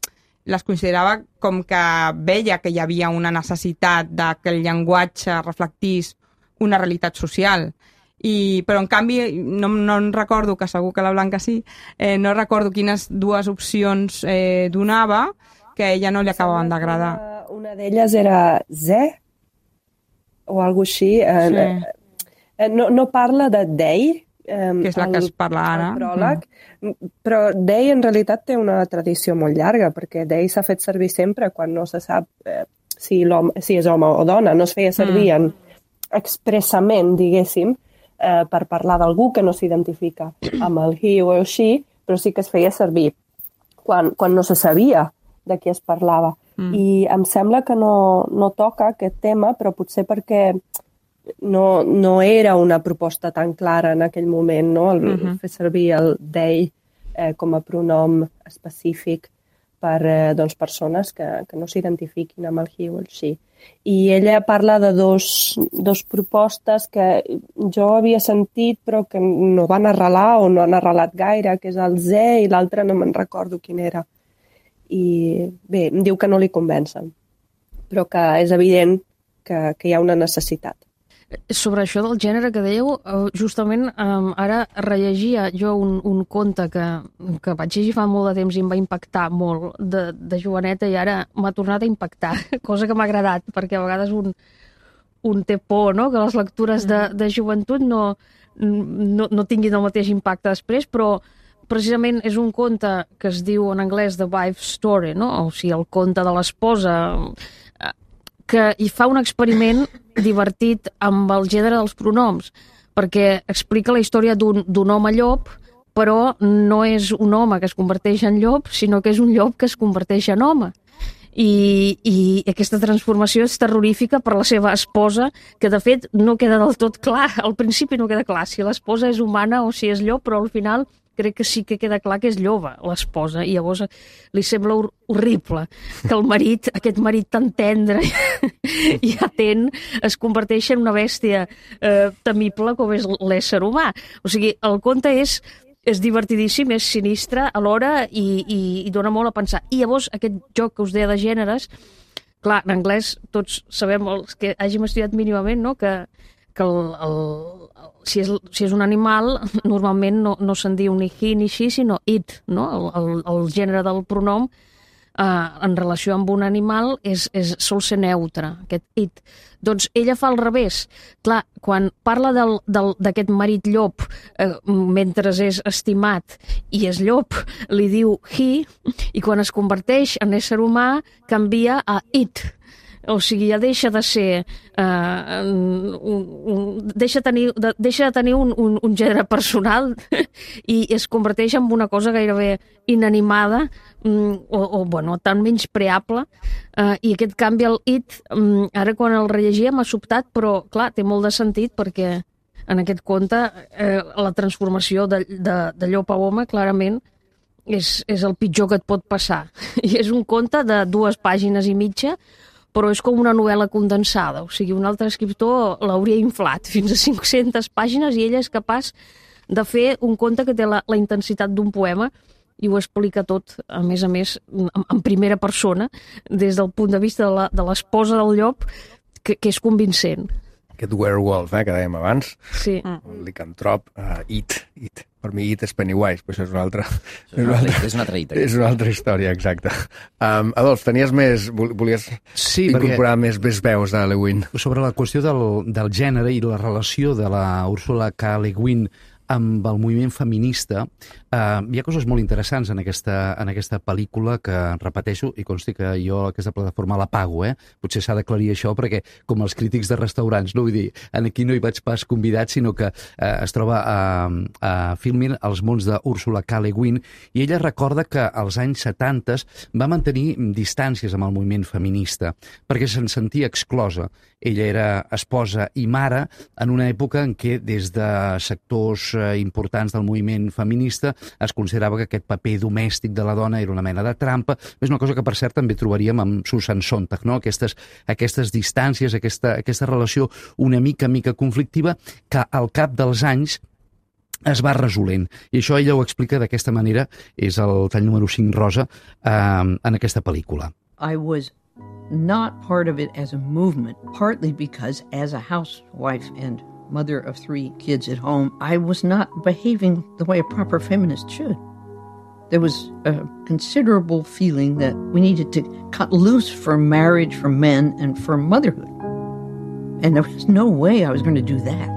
les considerava com que veia que hi havia una necessitat de que el llenguatge reflectís una realitat social. Però, en canvi, no en recordo, que segur que la Blanca sí, no recordo quines dues opcions donava que a ella no li acabaven d'agradar. Una d'elles era Ze, o alguna cosa així. Sí. No parla de Dei, que és la que es parla ara. Pròleg, però Dei en realitat té una tradició molt llarga, perquè Dei s'ha fet servir sempre quan no se sap si és home o dona. No es feia servir expressament, diguéssim, per parlar d'algú que no s'identifica amb el he o el she, però sí que es feia servir quan no se sabia de qui es parlava. I em sembla que no toca aquest tema, però potser perquè no era una proposta tan clara en aquell moment, no? El fer servir el they com a pronom específic per persones que no s'identifiquin amb el he o el she. I ella parla de dos propostes que jo havia sentit però que no van arrelar o no han arrelat gaire, que és el ze i l'altre no me'n recordo quin era. I bé, em diu que no li convencen, però que és evident que hi ha una necessitat. Sobre això del gènere que dèieu, justament ara rellegia jo un conte que vaig llegir fa molt de temps i em va impactar molt de joveneta, i ara m'ha tornat a impactar, cosa que m'ha agradat, perquè a vegades un té por, no?, que les lectures de joventut no tinguin el mateix impacte després, però precisament és un conte que es diu en anglès The Wife's Story, no?, o sigui, el conte de l'esposa, que hi fa un experiment divertit amb el gènere dels pronoms, perquè explica la història d'un home llop, però no és un home que es converteix en llop, sinó que és un llop que es converteix en home. I aquesta transformació és terrorífica per la seva esposa, que de fet no queda del tot clar, al principi no queda clar si l'esposa és humana o si és llop, però al final crec que sí que queda clar que és lloba, l'esposa, i llavors li sembla horrible que el marit, aquest marit tan tendre i atent, es converteixi en una bèstia temible com és l'ésser humà. O sigui, el conte és divertidíssim, és sinistre alhora i dona molt a pensar. I llavors aquest joc que us deia de gèneres, clar, en anglès tots sabem, els que hàgim estudiat mínimament, no?, que si és un animal, normalment no se'n diu ni he ni she, sinó it, no? El gènere del pronom en relació amb un animal sol ser neutre, aquest it. Doncs ella fa al revés. Clar, quan parla d'aquest marit llop mentre és estimat i és llop, li diu he, i quan es converteix en ésser humà canvia a it. O sigui, ja deixa de ser... deixa de tenir un gènere personal i es converteix en una cosa gairebé inanimada o tan menyspreable. I aquest canvi al it, ara quan el rellegia m'ha sobtat, però clar, té molt de sentit perquè en aquest conte la transformació de llop a home clarament és el pitjor que et pot passar. I és un conte de 2 pàgines i mitja, però és com una novel·la condensada, o sigui, un altre escriptor l'hauria inflat fins a 500 pàgines i ella és capaç de fer un conte que té la intensitat d'un poema i ho explica tot, a més, en primera persona, des del punt de vista de l'esposa del llop, que és convincent. Aquest werewolf, que dèiem abans, sí. El licantrop, it. Per mi it és Pennywise, però això és una altra... És una altra it. És una altra història, exacte. Adolf, tenies més... Volies incorporar més veus de Le Guin. Sobre la qüestió del gènere i la relació de la Ursula K. Le Guin amb el moviment feminista, hi ha coses molt interessants en aquesta pel·lícula que, repeteixo, i consti que jo aquesta plataforma la pago, potser s'ha d'aclarir això perquè, com els crítics de restaurants, no vull dir, aquí no hi vaig pas convidat, sinó que es troba a Filmin Els mons d'Ursula K. Le Guin, i ella recorda que als anys 70 va mantenir distàncies amb el moviment feminista, perquè se'n sentia exclosa. Ella era esposa i mare en una època en què des de sectors importants del moviment feminista es considerava que aquest paper domèstic de la dona era una mena de trampa. És una cosa que, per cert, també trobaríem amb Susan Sontag, no? Aquestes distàncies, aquesta relació una mica conflictiva que al cap dels anys es va resolent. I això ella ho explica d'aquesta manera, és el tall número 5 rosa, en aquesta pel·lícula. I was not part of it as a movement, partly because as a housewife and mother of 3 kids at home, I was not behaving the way a proper feminist should. There was a considerable feeling that we needed to cut loose for marriage, for men, and for motherhood. And there was no way I was going to do that.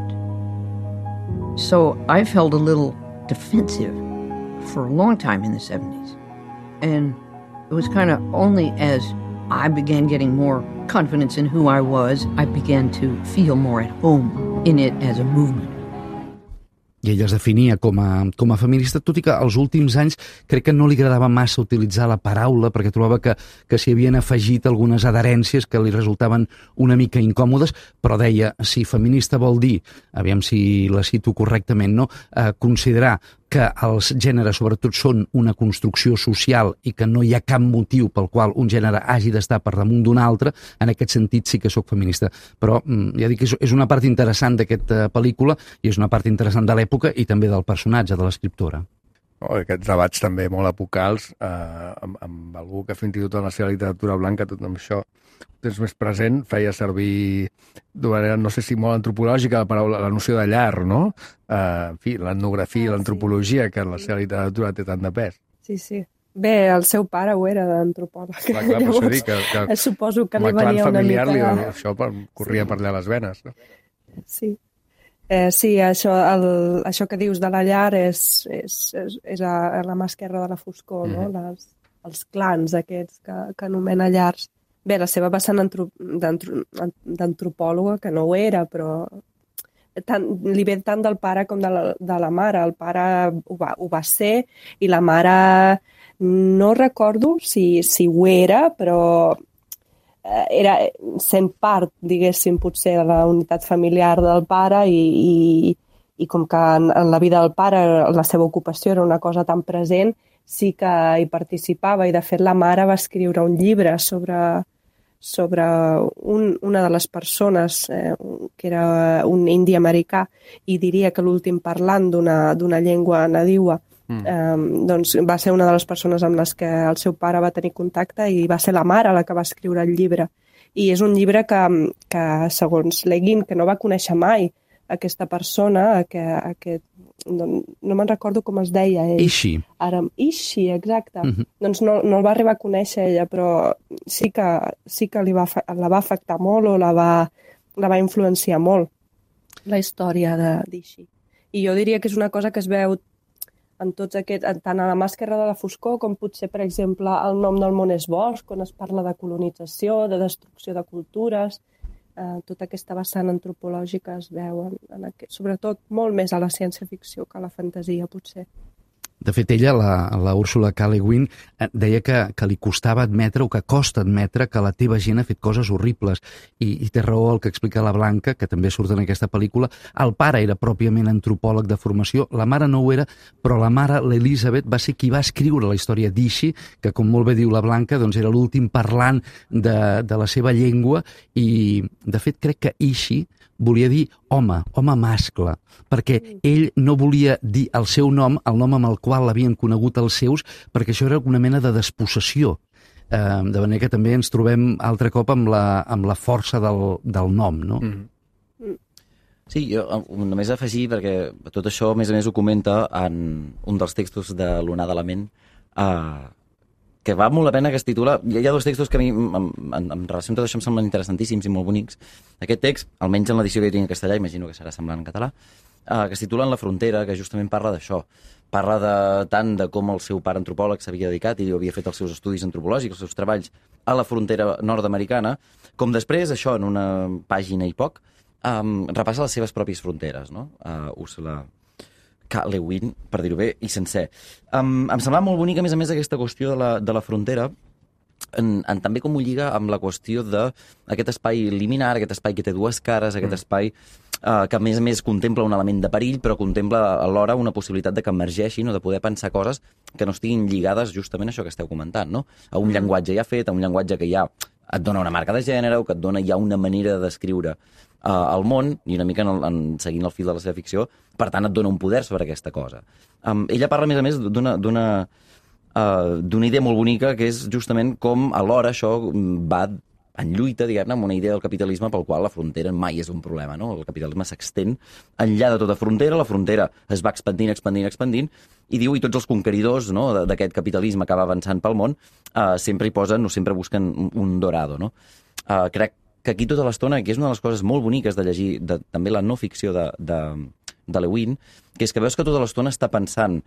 So I felt a little defensive for a long time in the 70s. And it was kind of only as I began getting more confidence in who I was, I began to feel more at home in it as a movement. I ella es definia com a feminista, tot i que als últims anys crec que no li agradava massa utilitzar la paraula perquè trobava que s'hi havien afegit algunes adherències que li resultaven una mica incòmodes, però deia, si feminista vol dir, aviam si la cito correctament, no? Considerar que els gèneres sobretot són una construcció social i que no hi ha cap motiu pel qual un gènere hagi d'estar per damunt d'un altre, en aquest sentit sí que sóc feminista. Però ja dic que és una part interessant d'aquesta pel·lícula i és una part interessant de l'època i també del personatge, de l'escriptora. Aquests debats també molt epocals, amb algú que fins i tot en la seva literatura blanca, tot amb això tens més present, feia servir d'una manera, no sé si molt antropològica, la noció de llar, no? En fi, l'etnografia i l'antropologia, que en la seva literatura té tant de pes. Sí. Bé, el seu pare ho era d'antropòleg. Clar, per això dic que suposo que li clan venia una familiar mica... això corria per allà les venes. No? Sí. Sí, això que dius de la llar és a la mà esquerra de la foscor, no? Els clans aquests que anomena llars. Bé, la seva vessant d'antropòloga, que no ho era, però li ve tant del pare com de la mare. El pare ho va ser i la mare no recordo si ho era, però era sent part, diguéssim, potser de la unitat familiar del pare i com que en la vida del pare la seva ocupació era una cosa tan present, sí que hi participava i de fet la mare va escriure un llibre sobre una de les persones que era un indi americà i diria que l'últim parlant d'una llengua nadiua doncs va ser una de les persones amb les que el seu pare va tenir contacte i va ser la mare la que va escriure el llibre. I és un llibre que segons Leguin, que no va conèixer mai aquesta persona, no me'n recordo com es deia ell. Ishi, exacte. Doncs no el va arribar a conèixer ella, però sí que la va afectar molt o la va influenciar molt, la història d'Ishi. I jo diria que és una cosa que es veu en tots aquests, tant a la mà esquerra de la foscor com potser, per exemple, el nom del món és bosc, on es parla de colonització, de destrucció de cultures, tota aquesta vessant antropològica es veu, sobretot molt més a la ciència-ficció que a la fantasia, potser. De fet, ella, la Úrsula K. Le Guin, deia que li costava admetre o que costa admetre que la teva gent ha fet coses horribles. I té raó el que explica la Blanca, que també surt en aquesta pel·lícula. El pare era pròpiament antropòleg de formació, la mare no ho era, però la mare, l'Elisabeth, va ser qui va escriure la història d'Ishi, que, com molt bé diu la Blanca, doncs era l'últim parlant de la seva llengua i, de fet, crec que Ishi volia dir home mascle, perquè ell no volia dir el seu nom, el nom amb el qual l'havien conegut els seus, perquè això era una mena de despossessió. De manera que també ens trobem altre cop amb la força del nom, no? Sí, jo només afegir, perquè tot això, a més ho comenta en un dels textos de l'Onada de la Ment, que val molt la pena, que es titula... Hi ha dos textos que a mi, en relació amb tot això, em semblen interessantíssims i molt bonics. Aquest text, almenys en l'edició que jo tinc en castellà, imagino que serà semblant en català, que es titula En la frontera, que justament parla d'això. Parla tant de com el seu pare antropòleg s'havia dedicat i havia fet els seus estudis antropològics, els seus treballs a la frontera nord-americana, com després, això, en una pàgina i poc, repassa les seves pròpies fronteres, no? Úrsula K. Le Guin, per dir-ho bé, i sencer. Em semblava molt bonica, a més, aquesta qüestió de la frontera, també com ho lliga amb la qüestió d'aquest espai liminar, aquest espai que té dues cares, aquest espai que a més contempla un element de perill, però contempla alhora una possibilitat de que emergeixin o de poder pensar coses que no estiguin lligades justament a això que esteu comentant, no? A un llenguatge ja fet, a un llenguatge que ja et dona una marca de gènere o que et dona ja una manera de descriure el món, i una mica seguint el fil de la seva ficció, per tant et dona un poder sobre aquesta cosa. Ella parla, a més, d'una idea molt bonica, que és justament com alhora això va en lluita, diguem-ne, amb una idea del capitalisme pel qual la frontera mai és un problema, no? El capitalisme s'extén enllà de tota frontera, la frontera es va expandint, i diu, i tots els conqueridors, no, d'aquest capitalisme que va avançant pel món sempre hi posen o sempre busquen un dorado, no? Crec que aquí tota l'estona, que és una de les coses molt boniques de llegir també la no ficció de Le Guin, que és que veus que tota l'estona està pensant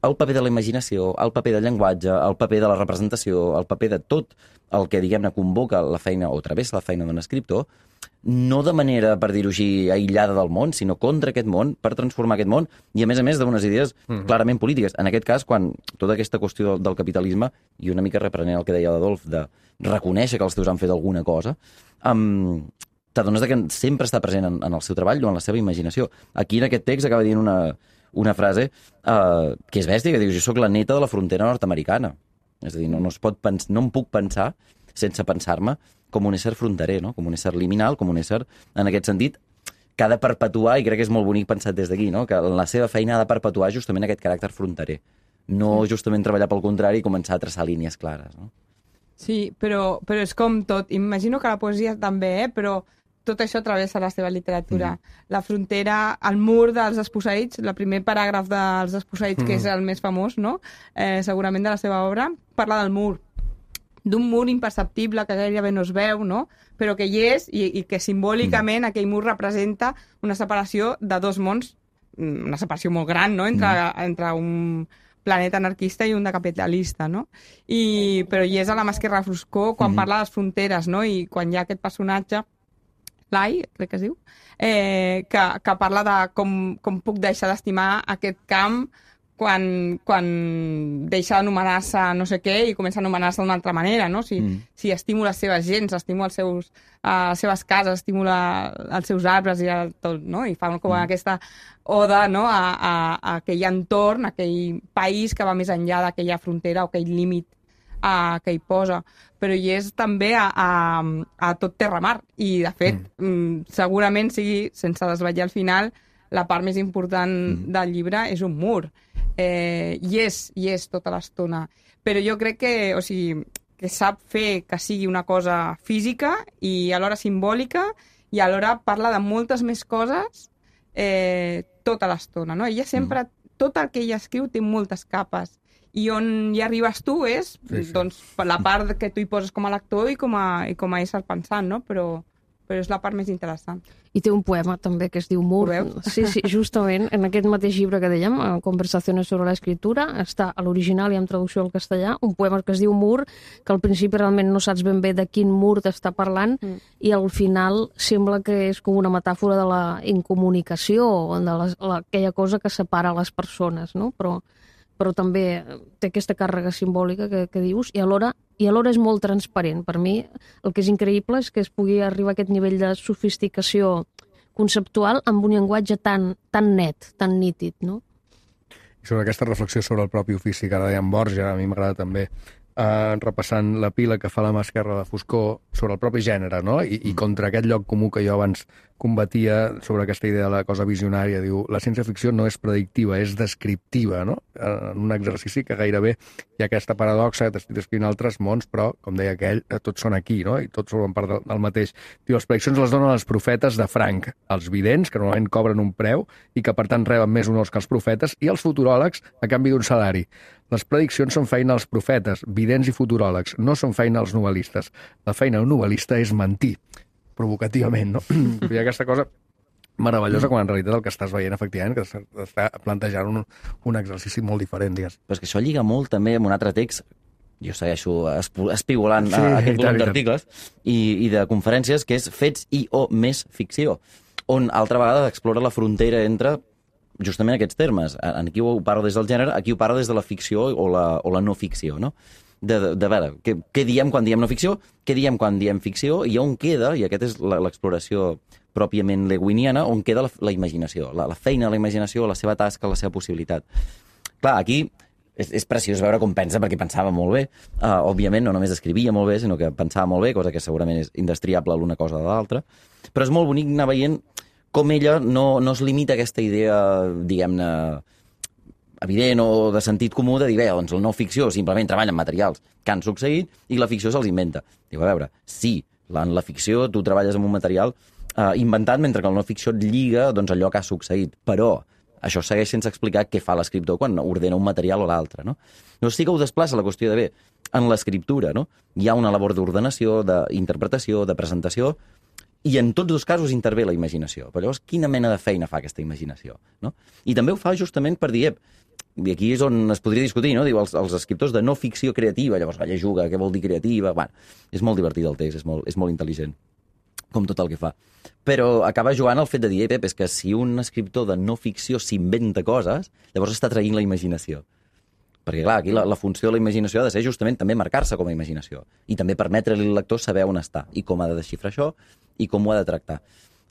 el paper de la imaginació, el paper del llenguatge, el paper de la representació, el paper de tot el que, diguem-ne, convoca la feina o travessa la feina d'un escriptor, no de manera, per dir-ho així, aïllada del món, sinó contra aquest món, per transformar aquest món, i a més d'unes idees clarament polítiques. En aquest cas, quan tota aquesta qüestió del capitalisme, i una mica reprenent el que deia l'Adolf, de reconèixer que els teus han fet alguna cosa, t'adones que sempre està present en el seu treball o en la seva imaginació. Aquí, en aquest text, acaba dient una frase que és bèstia, que diu, jo sóc la neta de la frontera nord-americana. És a dir, no em puc pensar sense pensar-me com un ésser fronterer, no? Com un ésser liminal, com un ésser, en aquest sentit, que ha de perpetuar, i crec que és molt bonic pensat des d'aquí, no? Que la seva feina ha de perpetuar justament aquest caràcter fronterer. No justament treballar pel contrari i començar a traçar línies clares, no? Sí, però és com tot. Imagino que la poesia també, però tot això travessa la seva literatura. La frontera, el mur dels desposseïts, el primer paràgraf dels desposseïts, que és el més famós, no? Segurament de la seva obra, parla del mur, d'un mur imperceptible que gairebé no es veu, no? Però que hi és i que simbòlicament aquell mur representa una separació de dos mons, una separació molt gran, no? Entre un planeta anarquista i un de capitalista, no? Però hi és a la mà esquerra Foscor quan parla de les fronteres, no? I quan hi ha aquest personatge, Lai, crec que es diu, que parla de com puc deixar d'estimar aquest camp quan deixa d'anomenar-se no sé què i comença a anomenar-se d'una altra manera, no? Si estimo les seves gens, estimo les seves cases, estimo els seus arbres i tot, no? I fa com aquesta oda, no? a aquell entorn, a aquell país que va més enllà d'aquella frontera o aquell límit que hi posa. Però hi és també a tot terra-mar. I, de fet, segurament sigui, sense desvetllar al final, la part més important del llibre és un mur. I és tota l'estona. Però jo crec que sap fer que sigui una cosa física i alhora simbòlica i alhora parla de moltes més coses tota l'estona, no? Ella sempre, tot el que ella escriu té moltes capes i on hi arribes tu és doncs, la part que tu hi poses com a lector i com a ésser pensant, no? Però és la part més interessant. I té un poema també que es diu Mur. Sí, justament, en aquest mateix llibre que dèiem, Conversaciones sobre la escritura, està a l'original i en traducció al castellà, un poema que es diu Mur, que al principi realment no saps ben bé de quin mur t'està parlant, i al final sembla que és com una metàfora de la incomunicació, de aquella cosa que separa les persones, no? Però també té aquesta càrrega simbòlica que dius, i alhora és molt transparent. Per mi el que és increïble és que es pugui arribar a aquest nivell de sofisticació conceptual amb un llenguatge tan net, tan nítid, no? I sobre aquesta reflexió sobre el propi ofici que ara deia en Borja, a mi m'agrada també, repassant la pila que fa la mà esquerra de Foscor sobre el propi gènere, no? I contra aquest lloc comú que jo abans combatia sobre aquesta idea de la cosa visionària. Diu, la ciència-ficció no és predictiva, és descriptiva, no? En un exercici que gairebé hi ha aquesta paradoxa que t'estic descrivint altres mons, però, com deia aquell, tots són aquí, no? I tots formen part del mateix. Diu, les prediccions les donen els profetes de franc, els vidents, que normalment cobren un preu i que, per tant, reben més honors que els profetes, i els futuròlegs a canvi d'un salari. Les prediccions són feina als profetes, vidents i futuròlegs, no són feina als novel·listes. La feina d'un novel·lista és mentir, provocativament, no? Hi ha aquesta cosa meravellosa quan en realitat el que estàs veient, efectivament, que està plantejant un exercici molt diferent, digues. Però és que això lliga molt també amb un altre text, jo segueixo espigolant aquest volum d'articles i de conferències, que és Fets i o més ficció, on altra vegada explora la frontera entre justament aquests termes. Aquí ho parlo des del gènere, aquí ho parlo des de la ficció o la no ficció, no? De veure, què diem quan diem no ficció, què diem quan diem ficció, i on queda, i aquesta és l'exploració pròpiament lewiniana, on queda la imaginació, la feina de la imaginació, la seva tasca, la seva possibilitat. Clar, aquí és preciós veure com pensa, perquè pensava molt bé. Òbviament, no només escrivia molt bé, sinó que pensava molt bé, cosa que segurament és indestriable l'una cosa de l'altra. Però és molt bonic anar veient com ella no es limita a aquesta idea, diguem-ne, evident o de sentit comú de dir, bé, doncs la no ficció simplement treballa amb materials que han succeït i la ficció se'ls inventa. Diu, a veure, sí, en la ficció tu treballes amb un material inventat, mentre que la no ficció et lliga doncs, allò que ha succeït. Però això segueix sense explicar què fa l'escriptor quan ordena un material o l'altre, no? No sí que ho desplaça la qüestió de, bé, en l'escriptura, no? Hi ha una labor d'ordenació, d'interpretació, de presentació, i en tots dos casos intervé la imaginació. Però llavors, quina mena de feina fa aquesta imaginació, no? I també ho fa justament per dir, i aquí és on es podria discutir, no? Diu, els escriptors de no ficció creativa, llavors ella juga, què vol dir creativa? Bueno, és molt divertit el text, és molt intel·ligent, com tot el que fa. Però acaba jugant el fet de dir, Pep, és que si un escriptor de no ficció s'inventa coses, llavors està traient la imaginació. Perquè, clar, aquí la funció de la imaginació ha de ser justament també marcar-se com a imaginació i també permetre-li al lector saber on està i com ha de desxifrar això i com ho ha de tractar.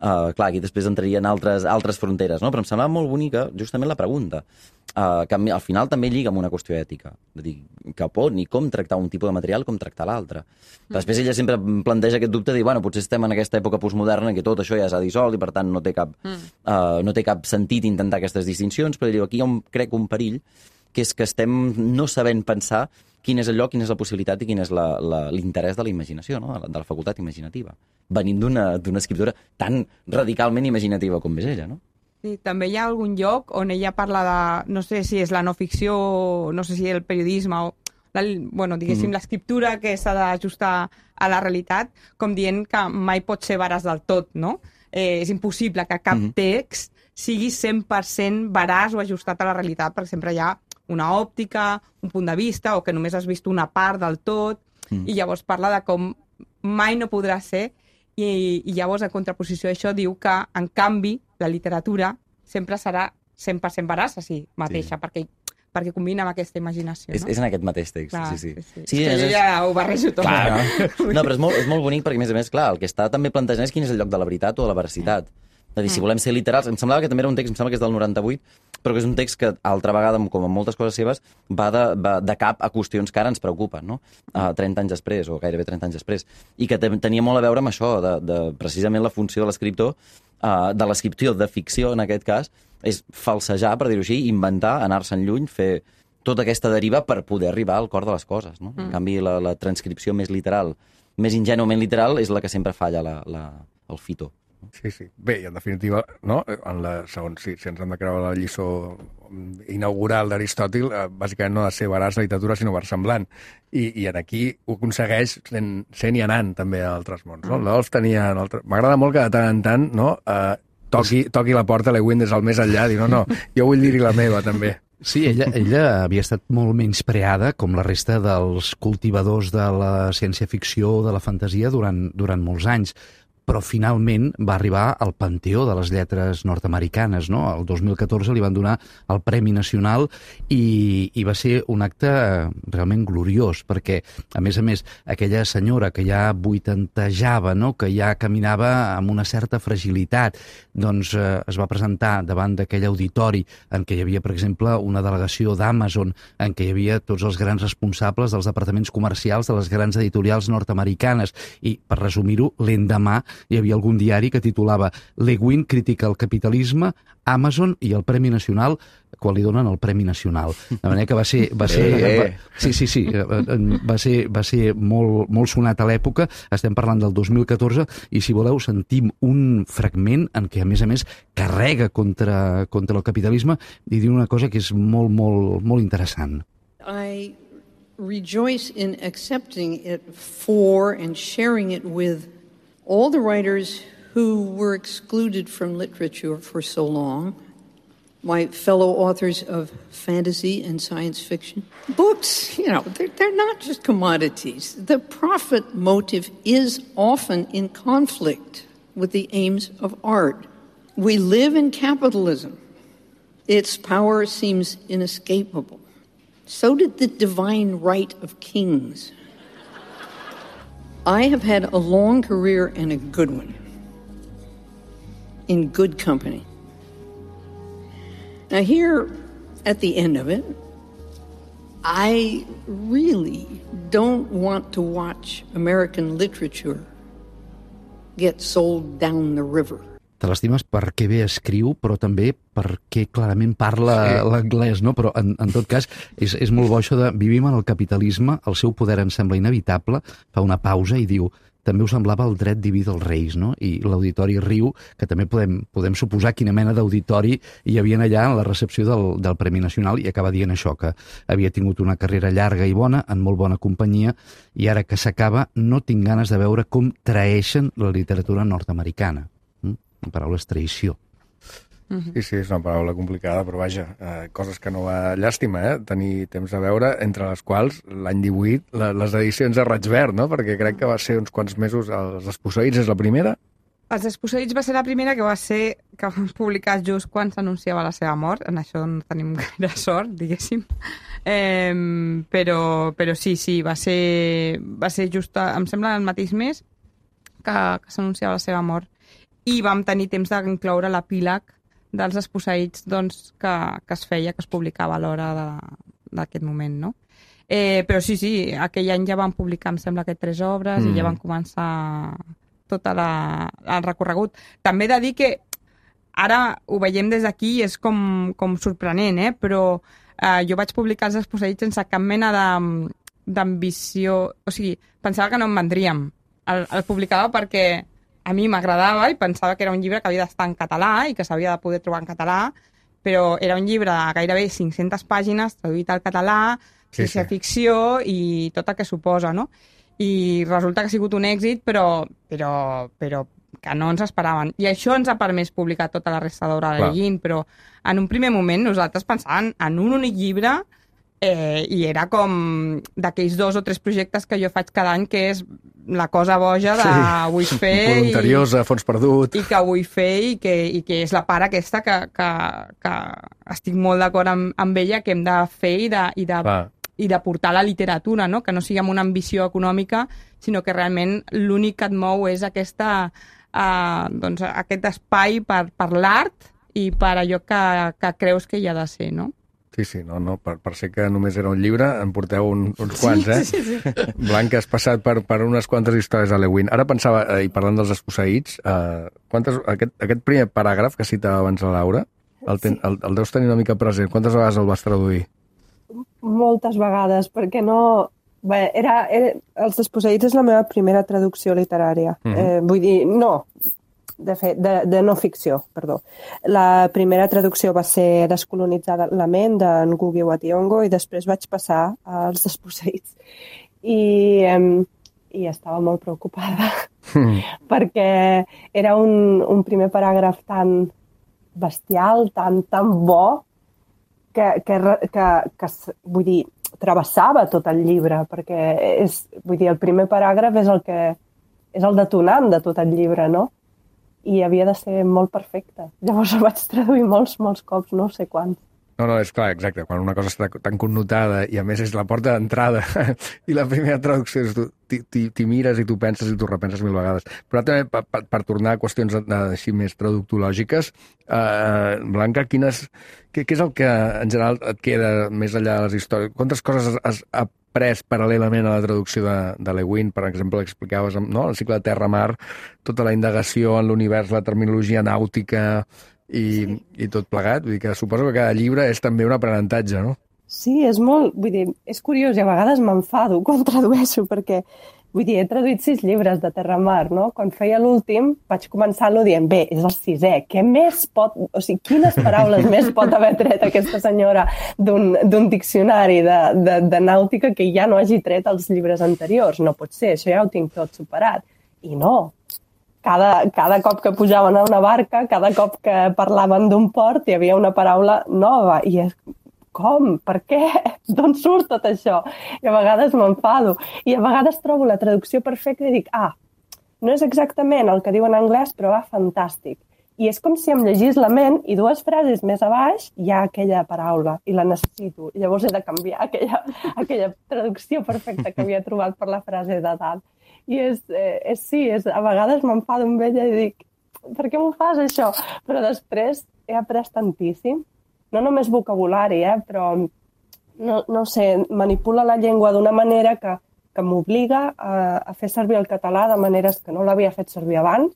Clar, aquí després entrarien altres fronteres, no? Però em semblava molt bonica justament la pregunta, que al final també lliga amb una qüestió ètica, de dir cap on i com tractar un tipus de material, com tractar l'altre. Després ella sempre planteja aquest dubte de dir, bueno, potser estem en aquesta època postmoderna en què tot això ja s'ha dissolt i per tant no té cap sentit intentar aquestes distincions, però diu, aquí hi ha crec un perill, que és que estem no sabent pensar quin és el lloc, quina és la possibilitat i quin és l'interès de la imaginació, no? de la facultat imaginativa, venint d'una escriptora tan radicalment imaginativa com és ella, no? Sí, també hi ha algun lloc on ella parla de, no sé si és la no ficció, no sé si el periodisme o, diguéssim, l'escriptura que s'ha d'ajustar a la realitat, com dient que mai pot ser veraç del tot, no? És impossible que cap text sigui 100% veraç o ajustat a la realitat, perquè sempre hi ha una òptica, un punt de vista, o que només has vist una part del tot, i llavors parla de com mai no podrà ser, i llavors, en contraposició a això, diu que, en canvi, la literatura sempre serà 100% veraç a si mateixa, perquè combina amb aquesta imaginació, no? És en aquest mateix text, clar, sí. És que jo ja ho barrejo tot. Clar, no, però és molt bonic perquè, a més, clar, el que està també plantejant és quin és el lloc de la veritat o de la veracitat. És a dir, si volem ser literals, em semblava que també era un text, em sembla que és del 98, però que és un text que, altra vegada, com en moltes coses seves, va de cap a qüestions que ara ens preocupen, no? 30 anys després, o gairebé 30 anys després. I que tenia molt a veure amb això, de precisament la funció de l'escriptor, de l'escripció de ficció, en aquest cas, és falsejar, per dir-ho així, inventar, anar-se'n lluny, fer tota aquesta deriva per poder arribar al cor de les coses, no? En canvi, la transcripció més literal, més ingènuament literal, és la que sempre falla el fito. Sí. Bé, i en definitiva, no? Segons si ens hem de creure la lliçó inaugural d'Aristòtil, bàsicament no ha de ser veraç la literatura, sinó versemblant. I aquí ho aconsegueix sent i anant també a altres mons. No? L'Olf tenia... M'agrada molt que de tant en tant toqui la porta a Lewin des del més enllà, dir no, jo vull dir-hi la meva també. Sí, ella havia estat molt menyspreada, com la resta dels cultivadors de la ciència-ficció, de la fantasia, durant molts anys. Però finalment va arribar al panteó de les lletres nord-americanes, no? El 2014 li van donar el Premi Nacional i va ser un acte realment gloriós, perquè, a més, aquella senyora que ja vuitantejava, no? Que ja caminava amb una certa fragilitat, doncs es va presentar davant d'aquell auditori en què hi havia, per exemple, una delegació d'Amazon, en què hi havia tots els grans responsables dels departaments comercials de les grans editorials nord-americanes, i, per resumir-ho, l'endemà hi havia algun diari que titulava Lewin critica el capitalisme, Amazon i el Premi Nacional, quan li donen el Premi Nacional. De manera que va ser molt sonat a l'època. Estem parlant del 2014 i, si voleu, sentim un fragment en què, a més, carrega contra el capitalisme i diu una cosa que és molt, molt, molt interessant. I rejoice in accepting it for and sharing it with all the writers who were excluded from literature for so long, my fellow authors of fantasy and science fiction. Books, they're not just commodities. The profit motive is often in conflict with the aims of art. We live in capitalism. Its power seems inescapable. So did the divine right of kings. I have had a long career and a good one, in good company. Now here, at the end of it, I really don't want to watch American literature get sold down the river. Te l'estimes perquè bé escriu, però també perquè clarament parla l'anglès, no? Però, en tot cas, és molt bo això de vivim en el capitalisme, el seu poder ens sembla inevitable, fa una pausa i diu també ho semblava el dret diví dels reis, no? I l'auditori riu, que també podem suposar quina mena d'auditori hi havia allà en la recepció del Premi Nacional, i acaba dient això, que havia tingut una carrera llarga i bona, en molt bona companyia, i ara que s'acaba no tinc ganes de veure com traeixen la literatura nord-americana. La paraula és traïció. Sí, és una paraula complicada, però vaja, coses que no va llàstima, tenir temps de veure, entre les quals l'any 18 les edicions de Raig Verd, no? Perquè crec que va ser uns quants mesos, Els Desposseïts és la primera? Els Desposseïts va ser la primera que van publicar just quan s'anunciava la seva mort, en això no tenim gaire sort, diguéssim, però sí, va ser just, em sembla, el mateix mes que s'anunciava la seva mort. I vam tenir temps d'incloure l'epíleg dels Desposseïts, doncs, que es feia, que es publicava a l'hora d'aquest moment, no? Però sí, aquell any ja van publicar, em sembla que 3 obres, i ja van començar tot el recorregut. També he de dir que ara ho veiem des d'aquí, és com sorprenent, però jo vaig publicar els desposseïts sense cap mena d'ambició, o sigui, pensava que no en vendríem. El publicava perquè a mi m'agradava i pensava que era un llibre que havia d'estar en català i que s'havia de poder trobar en català, però era un llibre de gairebé 500 pàgines, traduït al català, ciència-ficció i tot el que suposa, no? I resulta que ha sigut un èxit, però que no ens esperaven. I això ens ha permès publicar tota la resta d'obra de Guin, però en un primer moment nosaltres pensàvem en un únic llibre i era com d'aquells 2 o 3 projectes que jo faig cada any, que és la cosa boja de vull fer... Voluntariosa, fons perdut... I que vull fer i que és la part aquesta que estic molt d'acord amb ella, que hem de fer i de portar la literatura, no? Que no sigui amb una ambició econòmica, sinó que realment l'únic que et mou és aquest espai per l'art i per allò que creus que hi ha de ser, no? Sí, no, per ser que només era un llibre, en porteu uns quants, eh? Sí. Blanca, has passat per unes quantes històries a Le Guin. Ara pensava, i parlant dels desposseïts, aquest primer paràgraf que citava abans la Laura, el deus tenir una mica present. Quantes vegades el vas traduir? Moltes vegades, perquè no... Bé, Els desposseïts és la meva primera traducció literària. Vull dir, no, de fet, de no ficció, perdó. La primera traducció va ser Descolonitzar la ment, d'en Ngugi wa Thiong'o, i després vaig passar als desposseïts. I estava molt preocupada, perquè era un primer paràgraf tan bestial, tan bo, que vull dir, travessava tot el llibre, perquè el primer paràgraf és el detonant de tot el llibre, no? I havia de ser molt perfecte. Llavors el vaig traduir molts cops, no sé quants. No, és clar, exacte. Quan una cosa està tan connotada i a més és la porta d'entrada i la primera traducció és t'hi mires i t'ho penses i t'ho repenses 1000 vegades. Però també per tornar a qüestions així més traductològiques, Blanca, què és el que en general et queda més enllà de les històries? Quantes coses has après paral·lelament a la traducció de Le Guin? Per exemple, explicaves el cicle de terra-mar, tota la indagació en l'univers, la terminologia nàutica i tot plegat. Vull dir que suposo que cada llibre és també un aprenentatge, no? Sí, és molt... Vull dir, és curiós i a vegades m'enfado quan tradueixo perquè, vull dir, he traduït 6 llibres de terra-mar, no? Quan feia l'últim vaig començar-lo dient, bé, és el 6è, què més pot... O sigui, quines paraules més pot haver tret aquesta senyora d'un diccionari de nàutica que ja no hagi tret els llibres anteriors? No pot ser, això ja ho tinc tot superat. I no. Cada cop que pujaven a una barca, cada cop que parlaven d'un port, hi havia una paraula nova. I és, com? Per què? D'on surt tot això? I a vegades m'enfado. I a vegades trobo la traducció perfecta i dic, no és exactament el que diu en anglès, però va fantàstic. I és com si em llegís la ment i 2 frases més a baix hi ha aquella paraula i la necessito. I llavors he de canviar aquella traducció perfecta que havia trobat per la frase de dalt. I a vegades m'enfado amb ella i dic, per què m'ho fas això? Però després he après tantíssim, no només vocabulari, però no sé, manipula la llengua d'una manera que m'obliga a fer servir el català de maneres que no l'havia fet servir abans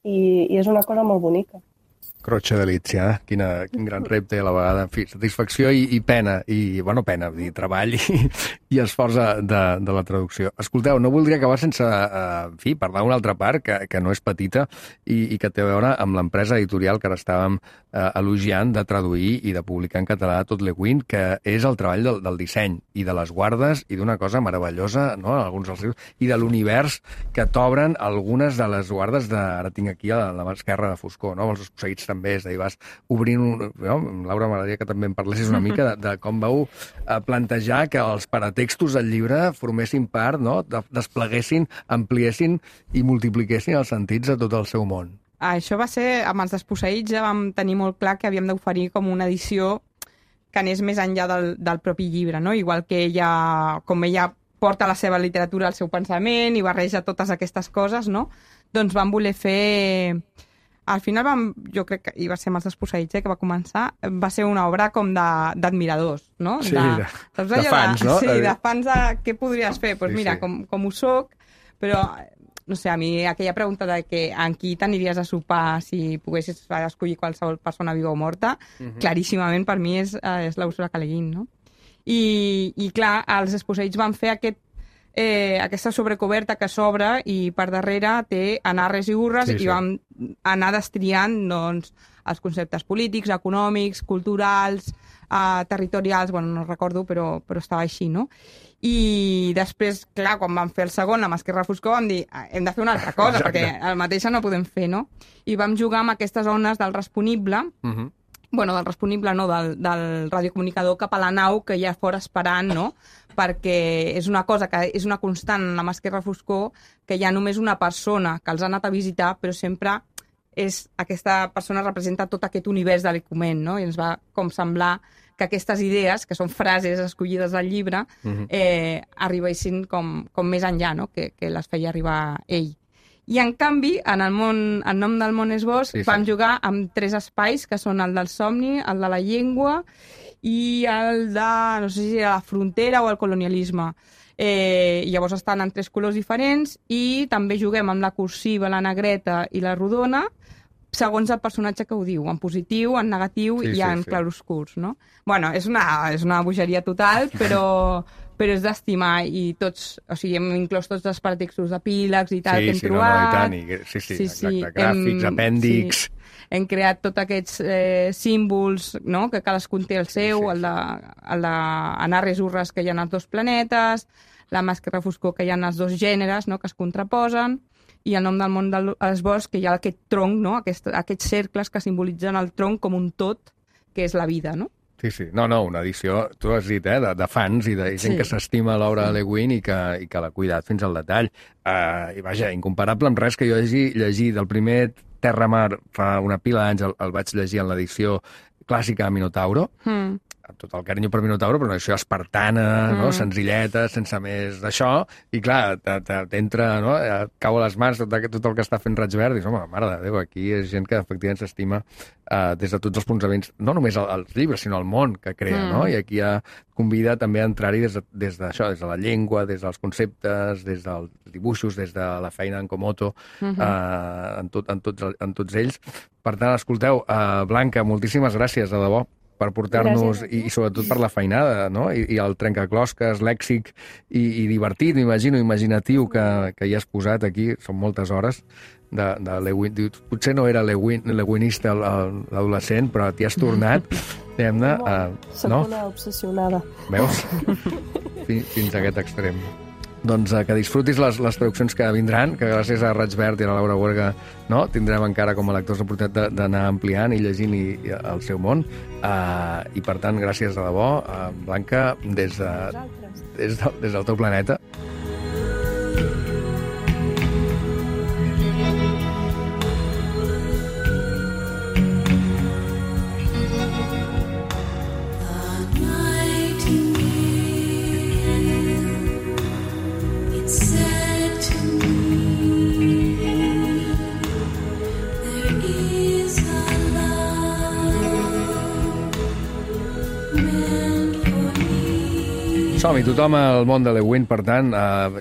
i és una cosa molt bonica. Croce delícia, quin gran repte a la vegada. En fi, satisfacció i pena, pena, dir, treball i esforç de la traducció. Escolteu, no voldria acabar sense, parlar d'una altra part que no és petita i que té a veure amb l'empresa editorial que ara estàvem elogiant de traduir i de publicar en català tot Le Guin, que és el treball del disseny i de les guardes i d'una cosa meravellosa, no?, en alguns dels llibres, i de l'univers que t'obren algunes de les guardes ara tinc aquí a la mà esquerra de Foscor, no?, els desposseïts també, és a dir, vas obrint... Laura, m'agradaria que també em parlessis una mica de com vau plantejar que els paratextos del llibre formessin part, no?, despleguessin, ampliessin i multipliquessin els sentits de tot el seu món. Això va ser, amb els desposseïts ja vam tenir molt clar que havíem d'oferir com una edició que anés més enllà del propi llibre, no? Igual que com ella porta la seva literatura al seu pensament i barreja totes aquestes coses, no? Doncs vam voler fer... Al final jo crec que, i va ser amb els desposseïts que va començar, va ser una obra com d'admiradors, no? Sí, de fans, no? Sí, de fans de què podries fer? Doncs mira, com ho soc, però no sé, a mi aquella pregunta de que amb qui t'aniries a sopar si poguessis escollir qualsevol persona viva o morta, claríssimament per mi és la Úrsula K. Le Guin, no? I clar, els esposells van fer aquesta sobrecoberta que s'obre i per darrere té anarres i urres i vam anar destriant doncs, els conceptes polítics, econòmics, culturals, territorials, bueno, no recordo, però estava així, no? I després, clar, quan vam fer el segon, amb Esquerra Foscor, vam dir, hem de fer una altra cosa, perquè el mateix no podem fer, no? I vam jugar amb aquestes ones del responible, bueno, del responible no, del radiocomunicador cap a la nau que hi ha fora esperant, no? Perquè és una cosa que és una constant amb Esquerra Foscor, que hi ha només una persona que els ha anat a visitar, però sempre aquesta persona representa tot aquest univers de l'Ecumen, no? I ens va com semblar que aquestes idees, que són frases escollides al llibre, arribessin com més enllà, no? Que les feia arribar ell. I, en canvi, en nom del món és bosc, vam jugar amb 3 espais, que són el del somni, el de la llengua i el de, no sé si era la frontera o el colonialisme. Llavors estan en 3 colors diferents i també juguem amb la cursiva, la negreta i la rodona, segons el personatge que ho diu, en positiu, en negatiu i en claroscurs, no? Bueno, és una bogeria total, però és d'estimar i tots, o sigui, hem inclòs tots els pretextos d'epílegs i tal que hem trobat. Exacte, gràfics, apèndix. Hem creat tots aquests símbols, no?, que cadascun té el seu, el d'anarres urres que hi ha els 2 planetes, la Esquerra Foscor que hi ha els 2 gèneres, no?, que es contraposen, i el nom del món dels boscs, que hi ha aquest tronc, no?, aquests cercles que simbolitzen el tronc com un tot, que és la vida, no? Sí. No, una edició, tu has dit, de fans i de gent que s'estima l'obra de Le Guin i que l'ha cuidat fins al detall. I vaja, incomparable amb res que jo hagi llegit. Del primer Terra-Mar fa una pila d'anys el vaig llegir en l'edició clàssica de Minotauro, amb tot el carinyo per Minotauro, però una edició espartana, no? Senzilleta, sense més d'això, i clar, t'entra, no? Et cau a les mans tot el que està fent Raig Verd, i dius, home, mare de Déu, aquí és gent que efectivament s'estima des de tots els punts de vista, no només els llibres, sinó el món que crea, no? I aquí convida també a entrar-hi des d'això, des de la llengua, des dels conceptes, des dels dibuixos, des de la feina en Komoto, en tots ells. Per tant, escolteu, Blanca, moltíssimes gràcies, de debò, per portar-nos, i sobretot per la feinada, no? I el trencaclosques, lèxic i divertit, m'imagino, imaginatiu que hi has posat aquí, són moltes hores, de Le Guin. Potser no era leguinista l'adolescent, però t'hi has tornat, diguem-ne... Soc una obsessionada. Veus? Fins a aquest extrem. Doncs que disfrutis les traduccions que vindran, que gràcies a Raig Verd i a la Laura Huerga tindrem encara com a lectors l'oportunitat d'anar ampliant i llegint el seu món. I per tant, gràcies de debò, Blanca, des del teu planeta. Som-hi, tothom al món de Le Guin, per tant,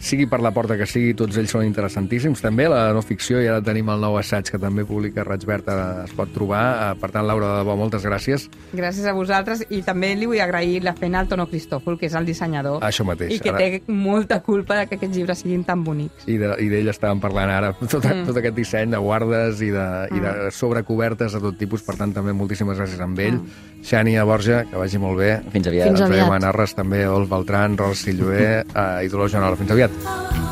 sigui per la porta que sigui, tots ells són interessantíssims. També la no ficció, i ara tenim el nou assaig que també publica Raig Verd, es pot trobar. Per tant, Laura, de debò, moltes gràcies. Gràcies a vosaltres, i també li vull agrair la feina al Tono Cristòfol, que és el dissenyador. Això mateix. I que té molta culpa que aquests llibres siguin tan bonics. I d'ell estàvem parlant ara, tot aquest disseny de guardes i de sobrecobertes de tot tipus, per tant, també moltíssimes gràcies amb ell. Xènia Borja, que vagi molt bé. Fins aviat. Ens veiem a Narres també, Dolf Beltran, Ros Silloé i Dolors Joanola. Fins aviat.